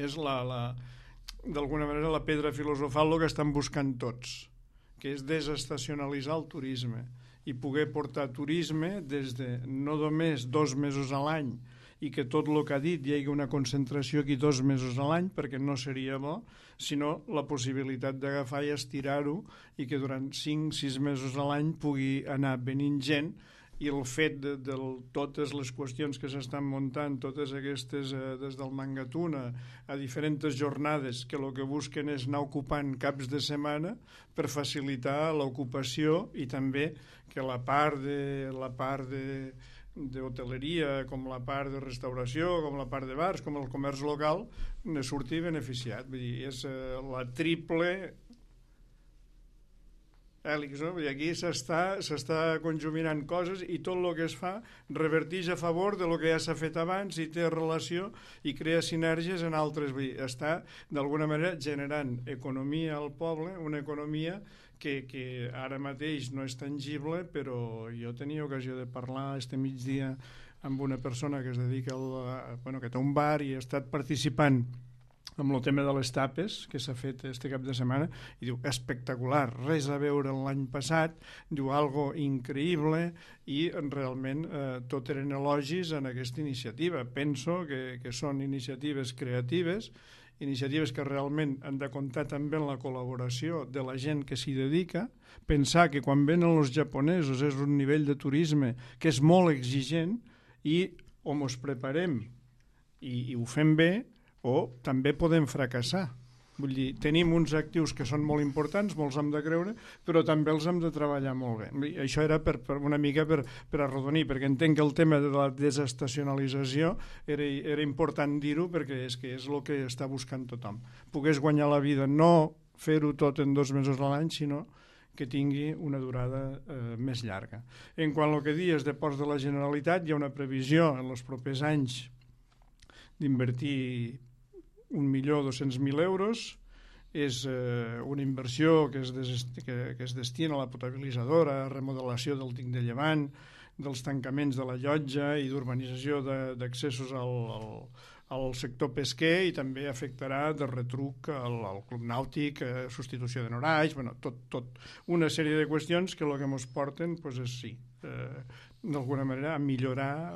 És d'alguna manera la pedra filosofal el que estan buscant tots, que és desestacionalitzar el turisme i poder portar turisme des de no només 2 mesos a l'any i que tot el que ha dit hi hagi una concentració aquí 2 mesos a l'any, perquè no seria bo, sinó la possibilitat d'agafar i estirar-ho i que durant 5-6 mesos a l'any pugui anar venint gent. I el fet de totes les qüestions que s'estan muntant, totes aquestes, des del Mangatuna a diferents jornades, que el que busquen és anar ocupant caps de setmana per facilitar l'ocupació i també que la part d'hoteleria, com la part de restauració, com la part de bars, com el comerç local, ne surti beneficiat. Vull dir, és la triple hèlix, no? I aquí s'està conjuminant coses i tot el que es fa reverteix a favor de lo que ja s'ha fet abans i té relació i crea sinergies en altres. Vull dir, està d'alguna manera generant economia al poble, una economia que ara mateix no és tangible, però jo tenia ocasió de parlar este migdia amb una persona que es dedica que té un bar i ha estat participant amb el tema de les tapes que s'ha fet este cap de setmana i diu, espectacular, res a veure l'any passat, diu, algo increïble, i realment tot eren elogis en aquesta iniciativa. Penso que són iniciatives creatives, iniciatives que realment han de comptar també amb la col·laboració de la gent que s'hi dedica, pensar que quan venen els japonesos és un nivell de turisme que és molt exigent i o ens preparem i ho fem bé o també podem fracassar. Vull dir, tenim uns actius que són molt importants, molts hem de creure, però també els hem de treballar molt bé. Això era per una mica per arrodonir, perquè entenc que el tema de la desestacionalització era important dir-ho, perquè és el que està buscant tothom. Pogués guanyar la vida, no fer-ho tot en 2 mesos a l'any, sinó que tingui una durada més llarga. En quant al que dius de ports de la Generalitat, hi ha una previsió en els propers anys d'invertir 1.200.000 euros. És una inversió que es destina a la potabilitzadora, a remodelació del dic de Llevant, dels tancaments de la llotja i d'urbanització d'accessos al sector pesquer, i també afectarà de retruc al club nàutic, substitució de norais, tot una sèrie de qüestions que el que ens porten és sí, d'alguna manera a millorar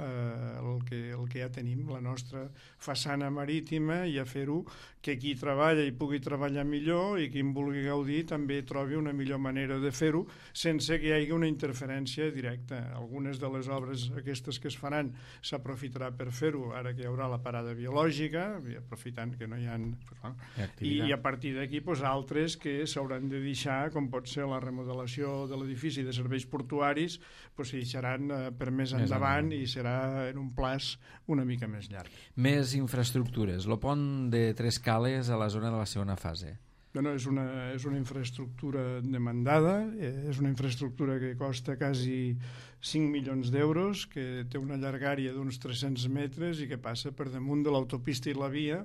el que ja tenim, la nostra façana marítima, i a fer-ho que qui treballa i pugui treballar millor, i qui en vulgui gaudir també trobi una millor manera de fer-ho sense que hi hagi una interferència directa. Algunes de les obres aquestes que es faran s'aprofitarà per fer-ho ara que hi haurà la parada biològica, aprofitant que no hi ha... I a partir d'aquí altres que s'hauran de deixar, com pot ser la remodelació de l'edifici de serveis portuaris, s'hi deixaran per més endavant i serà en un plaç una mica més llarg. Més infraestructures. El pont de Tres Cales a la zona de la segona fase. És una infraestructura demandada, és una infraestructura que costa quasi 5 milions d'euros, que té una llargària d'uns 300 metres i que passa per damunt de l'autopista i la via,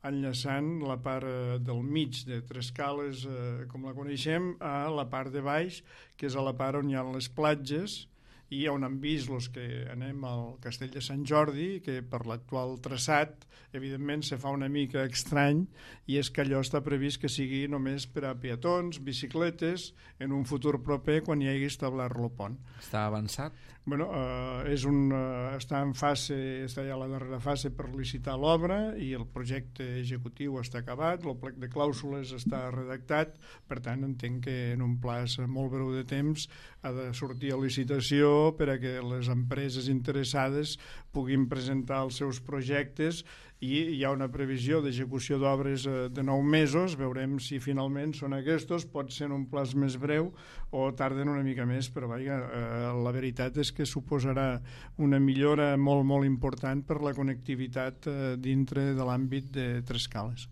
enllaçant la part del mig de Tres Cales, com la coneixem, a la part de baix, que és a la part on hi ha les platges, i on hem vist els que anem al Castell de Sant Jordi, que per l'actual traçat, evidentment, se fa una mica estrany, i és que allò està previst que sigui només per a peatons, bicicletes, en un futur proper, quan hi hagi establert el pont. Està avançat? Està en fase, està ja a la darrera fase per licitar l'obra, i el projecte executiu està acabat, el plec de clàusules està redactat, per tant entenc que en un plaç molt breu de temps ha de sortir a licitació per a que les empreses interessades puguin presentar els seus projectes, i hi ha una previsió d'execució d'obres de 9 mesos. Veurem si finalment són aquests, pot ser en un plaç més breu o tarden una mica més, però la veritat és que suposarà una millora molt, molt important per la connectivitat dintre de l'àmbit de Tres Cales.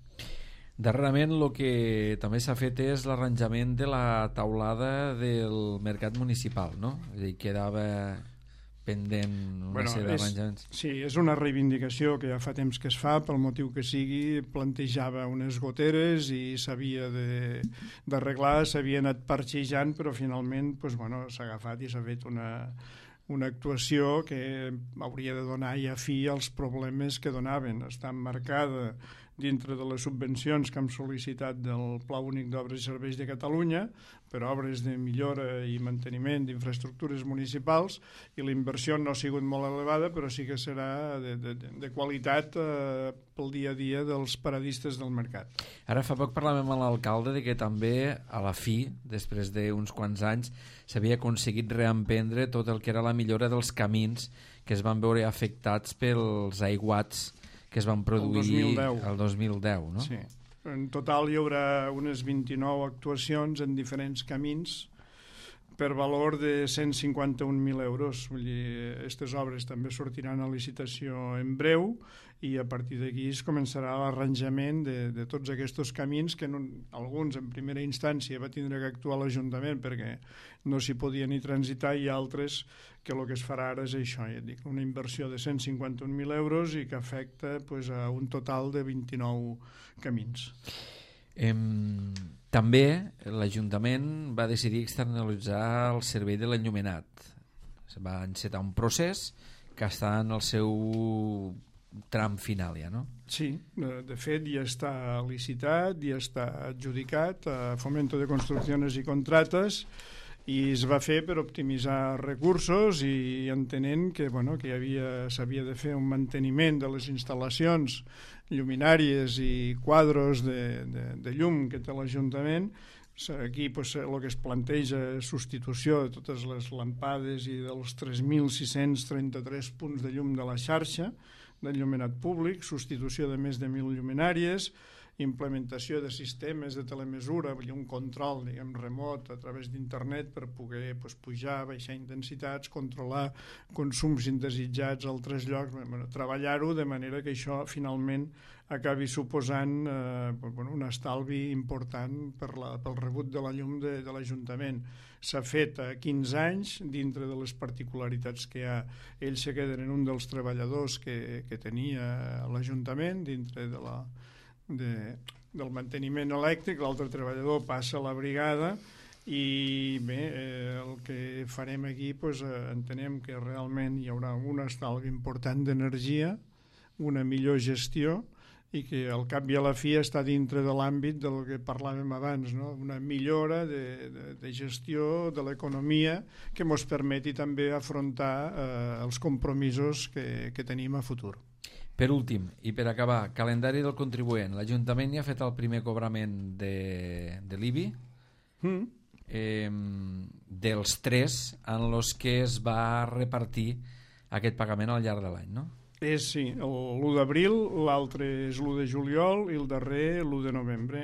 Darrerament el que també s'ha fet és l'arranjament de la taulada del mercat municipal, no? És a dir, quedava pendent una sèrie d'arranjaments. Sí, és una reivindicació que ja fa temps que es fa, pel motiu que sigui. Plantejava unes goteres i s'havia d'arreglar, s'havia anat parxejant, però finalment s'ha agafat i s'ha fet una actuació que hauria de donar ja fi als problemes que donaven. Està emmarcada dintre de les subvencions que hem sol·licitat del Pla Únic d'Obres i Serveis de Catalunya per obres de millora i manteniment d'infraestructures municipals, i la inversió no ha sigut molt elevada, però sí que serà de qualitat pel dia a dia dels paradistes del mercat. Ara fa poc parlàvem amb l'alcalde de que també a la fi, després d'uns quants anys, s'havia aconseguit reemprendre tot el que era la millora dels camins que es van veure afectats pels aiguats que es van produir el 2010, no? Sí. En total hi haurà unes 29 actuacions en diferents camins per valor de 151.000 euros. Vull dir, aquestes obres també sortiran a licitació en breu, i a partir d'aquí es començarà l'arranjament de tots aquests camins que alguns en primera instància va tindre que actuar l'Ajuntament perquè no s'hi podia ni transitar, i altres que el que es farà ara és això, ja dic, una inversió de 151.000 euros i que afecta a un total de 29 camins. També l'Ajuntament va decidir externalitzar el servei de l'enllumenat. Va encetar un procés que està en el seu tram final ja, no? Sí, de fet ja està licitat, ja està adjudicat a Fomento de Construcciones i Contrates, i es va fer per optimitzar recursos, i entenent que s'havia de fer un manteniment de les instal·lacions lluminàries i quadros de llum que té l'Ajuntament. Aquí el que es planteja és substitució de totes les lampades i dels 3.633 punts de llum de la xarxa d'enllumenat públic, substitució de més de 1.000 lluminàries, implementació de sistemes de telemesura, vull dir, un control, diguem, remot a través d'internet per poder pujar, baixar intensitats, controlar consums indesitjats a altres llocs, treballar-ho de manera que això finalment acabi suposant un estalvi important pel rebut de la llum de l'Ajuntament. S'ha fet a 15 anys, dintre de les particularitats que hi ha. Ells se queden en un dels treballadors que tenia l'Ajuntament, dintre del manteniment elèctric, l'altre treballador passa a la brigada i bé, el que farem aquí entenem que realment hi haurà un estalvi important d'energia, una millor gestió i que al cap i a la fi està dintre de l'àmbit del que parlàvem abans, no? Una millora de gestió de l'economia que ens permeti també afrontar els compromisos que tenim a futur. Per últim, i per acabar, calendari del contribuent. L'Ajuntament ja ha fet el primer cobrament de l'IBI, dels 3 en els que es va repartir aquest pagament al llarg de l'any, no? Sí, l'1 d'abril, l'altre és l'1 de juliol i el darrer l'1 de novembre.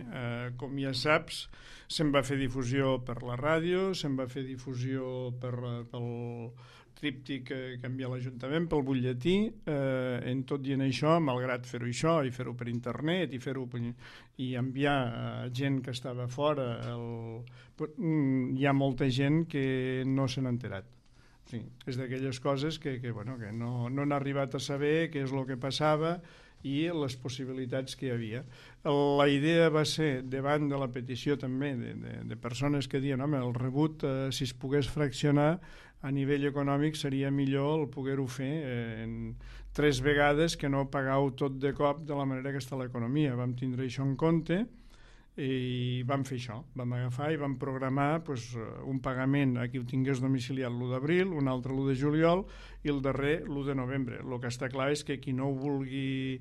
Com ja saps, se'n va fer difusió per la ràdio, se'n va fer difusió pel tríptic que envia l'Ajuntament, pel butlletí. En tot i en això, malgrat fer-ho això i fer-ho per internet i enviar a gent que estava fora, hi ha molta gent que no se n'ha enterat. Sí, és d'aquelles coses que no han arribat a saber què és el que passava i les possibilitats que hi havia. La idea va ser, davant de la petició també de persones que diuen el rebut, si es pogués fraccionar a nivell econòmic seria millor el poder-ho fer en 3 vegades que no pagar-ho tot de cop de la manera que està l'economia. Vam tindre això en compte i vam fer això, vam agafar i vam programar un pagament a qui ho tingués domiciliat l'1 d'abril, un altre l'1 de juliol i el darrer l'1 de novembre. El que està clar és que qui no ho vulgui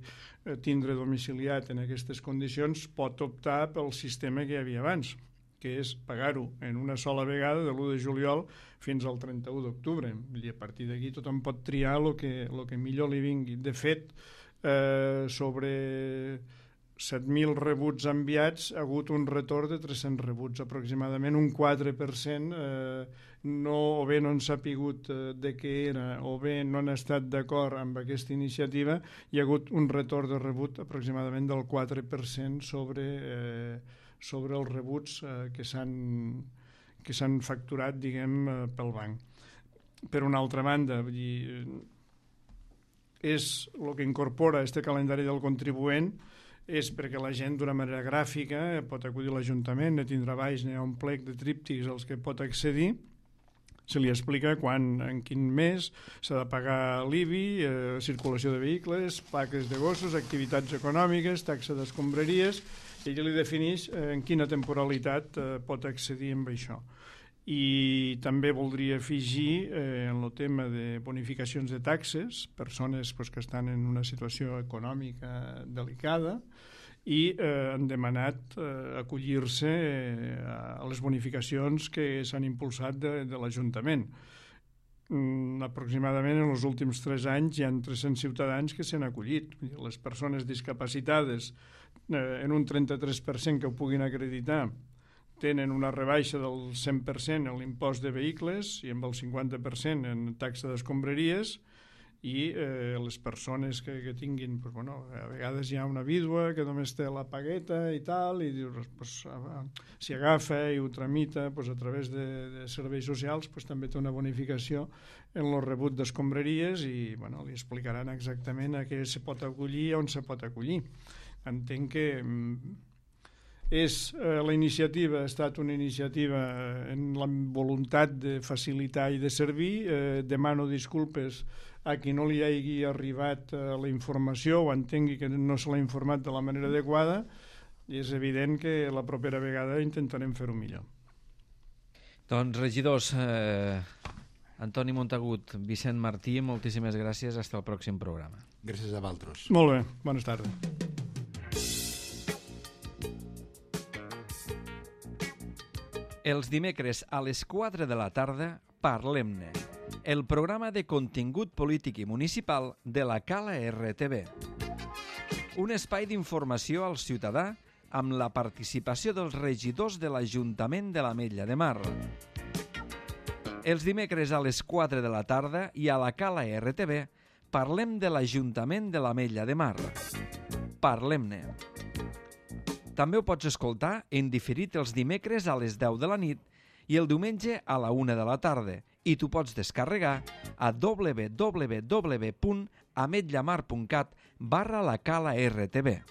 tindre domiciliat en aquestes condicions pot optar pel sistema que hi havia abans, que és pagar-ho en una sola vegada de l'1 de juliol fins al 31 d'octubre. I a partir d'aquí tothom pot triar el que millor li vingui. De fet, sobre 7.000 rebuts enviats, ha hagut un retorn de 300 rebuts, aproximadament un 4%, o bé no han sapigut de què era, o bé no han estat d'acord amb aquesta iniciativa, hi ha hagut un retorn de rebut aproximadament del 4% sobre els rebuts que s'han facturat, diguem, pel banc. Per una altra banda, és el que incorpora este calendari del contribuent, és perquè la gent d'una manera gràfica pot acudir a l'Ajuntament, ne tindrà baix, n'hi ha un plec de tríptics als que pot accedir, se li explica quan, en quin mes s'ha de pagar l'IBI, circulació de vehicles, plaques de gossos, activitats econòmiques, taxa d'escombraries, i ell li defineix en quina temporalitat pot accedir amb això. I també voldria afegir en el tema de bonificacions de taxes, persones que estan en una situació econòmica delicada i han demanat acollir-se a les bonificacions que s'han impulsat de l'Ajuntament. Aproximadament en els últims 3 anys hi ha 300 ciutadans que s'han acollit. Les persones discapacitades en un 33% que ho puguin acreditar tenen una rebaixa del 100% en l'impost de vehicles i amb el 50% en taxa d'escombraries i les persones que tinguin, a vegades hi ha una vídua que només té la pagueta i tal, i si agafa i ho tramita a través de serveis socials, també té una bonificació en el rebut d'escombraries i li explicaran exactament a què se pot acollir i on se pot acollir. Entenc que la iniciativa ha estat una iniciativa en la voluntat de facilitar i de servir. Demano disculpes a qui no li hagi arribat la informació o entengui que no se l'ha informat de la manera adequada, i és evident que la propera vegada intentarem fer-ho millor. Doncs, regidors, Antoni Montagut, Vicent Martí, moltíssimes gràcies. Hasta el pròxim programa. Gràcies a vosaltres. Molt bé, bones tardes. Els dimecres a les 4 de la tarda, Parlem-ne, el programa de contingut polític i municipal de la Cala RTV. Un espai d'informació al ciutadà amb la participació dels regidors de l'Ajuntament de l'Ametlla de Mar. Els dimecres a les 4 de la tarda i a la Cala RTV parlem de l'Ajuntament de l'Ametlla de Mar. Parlem-ne. També ho pots escoltar en diferit els dimecres a les 10 de la nit i el diumenge a la 1 de la tarda i t'ho pots descarregar a www.ametllamar.cat/la Cala RTV.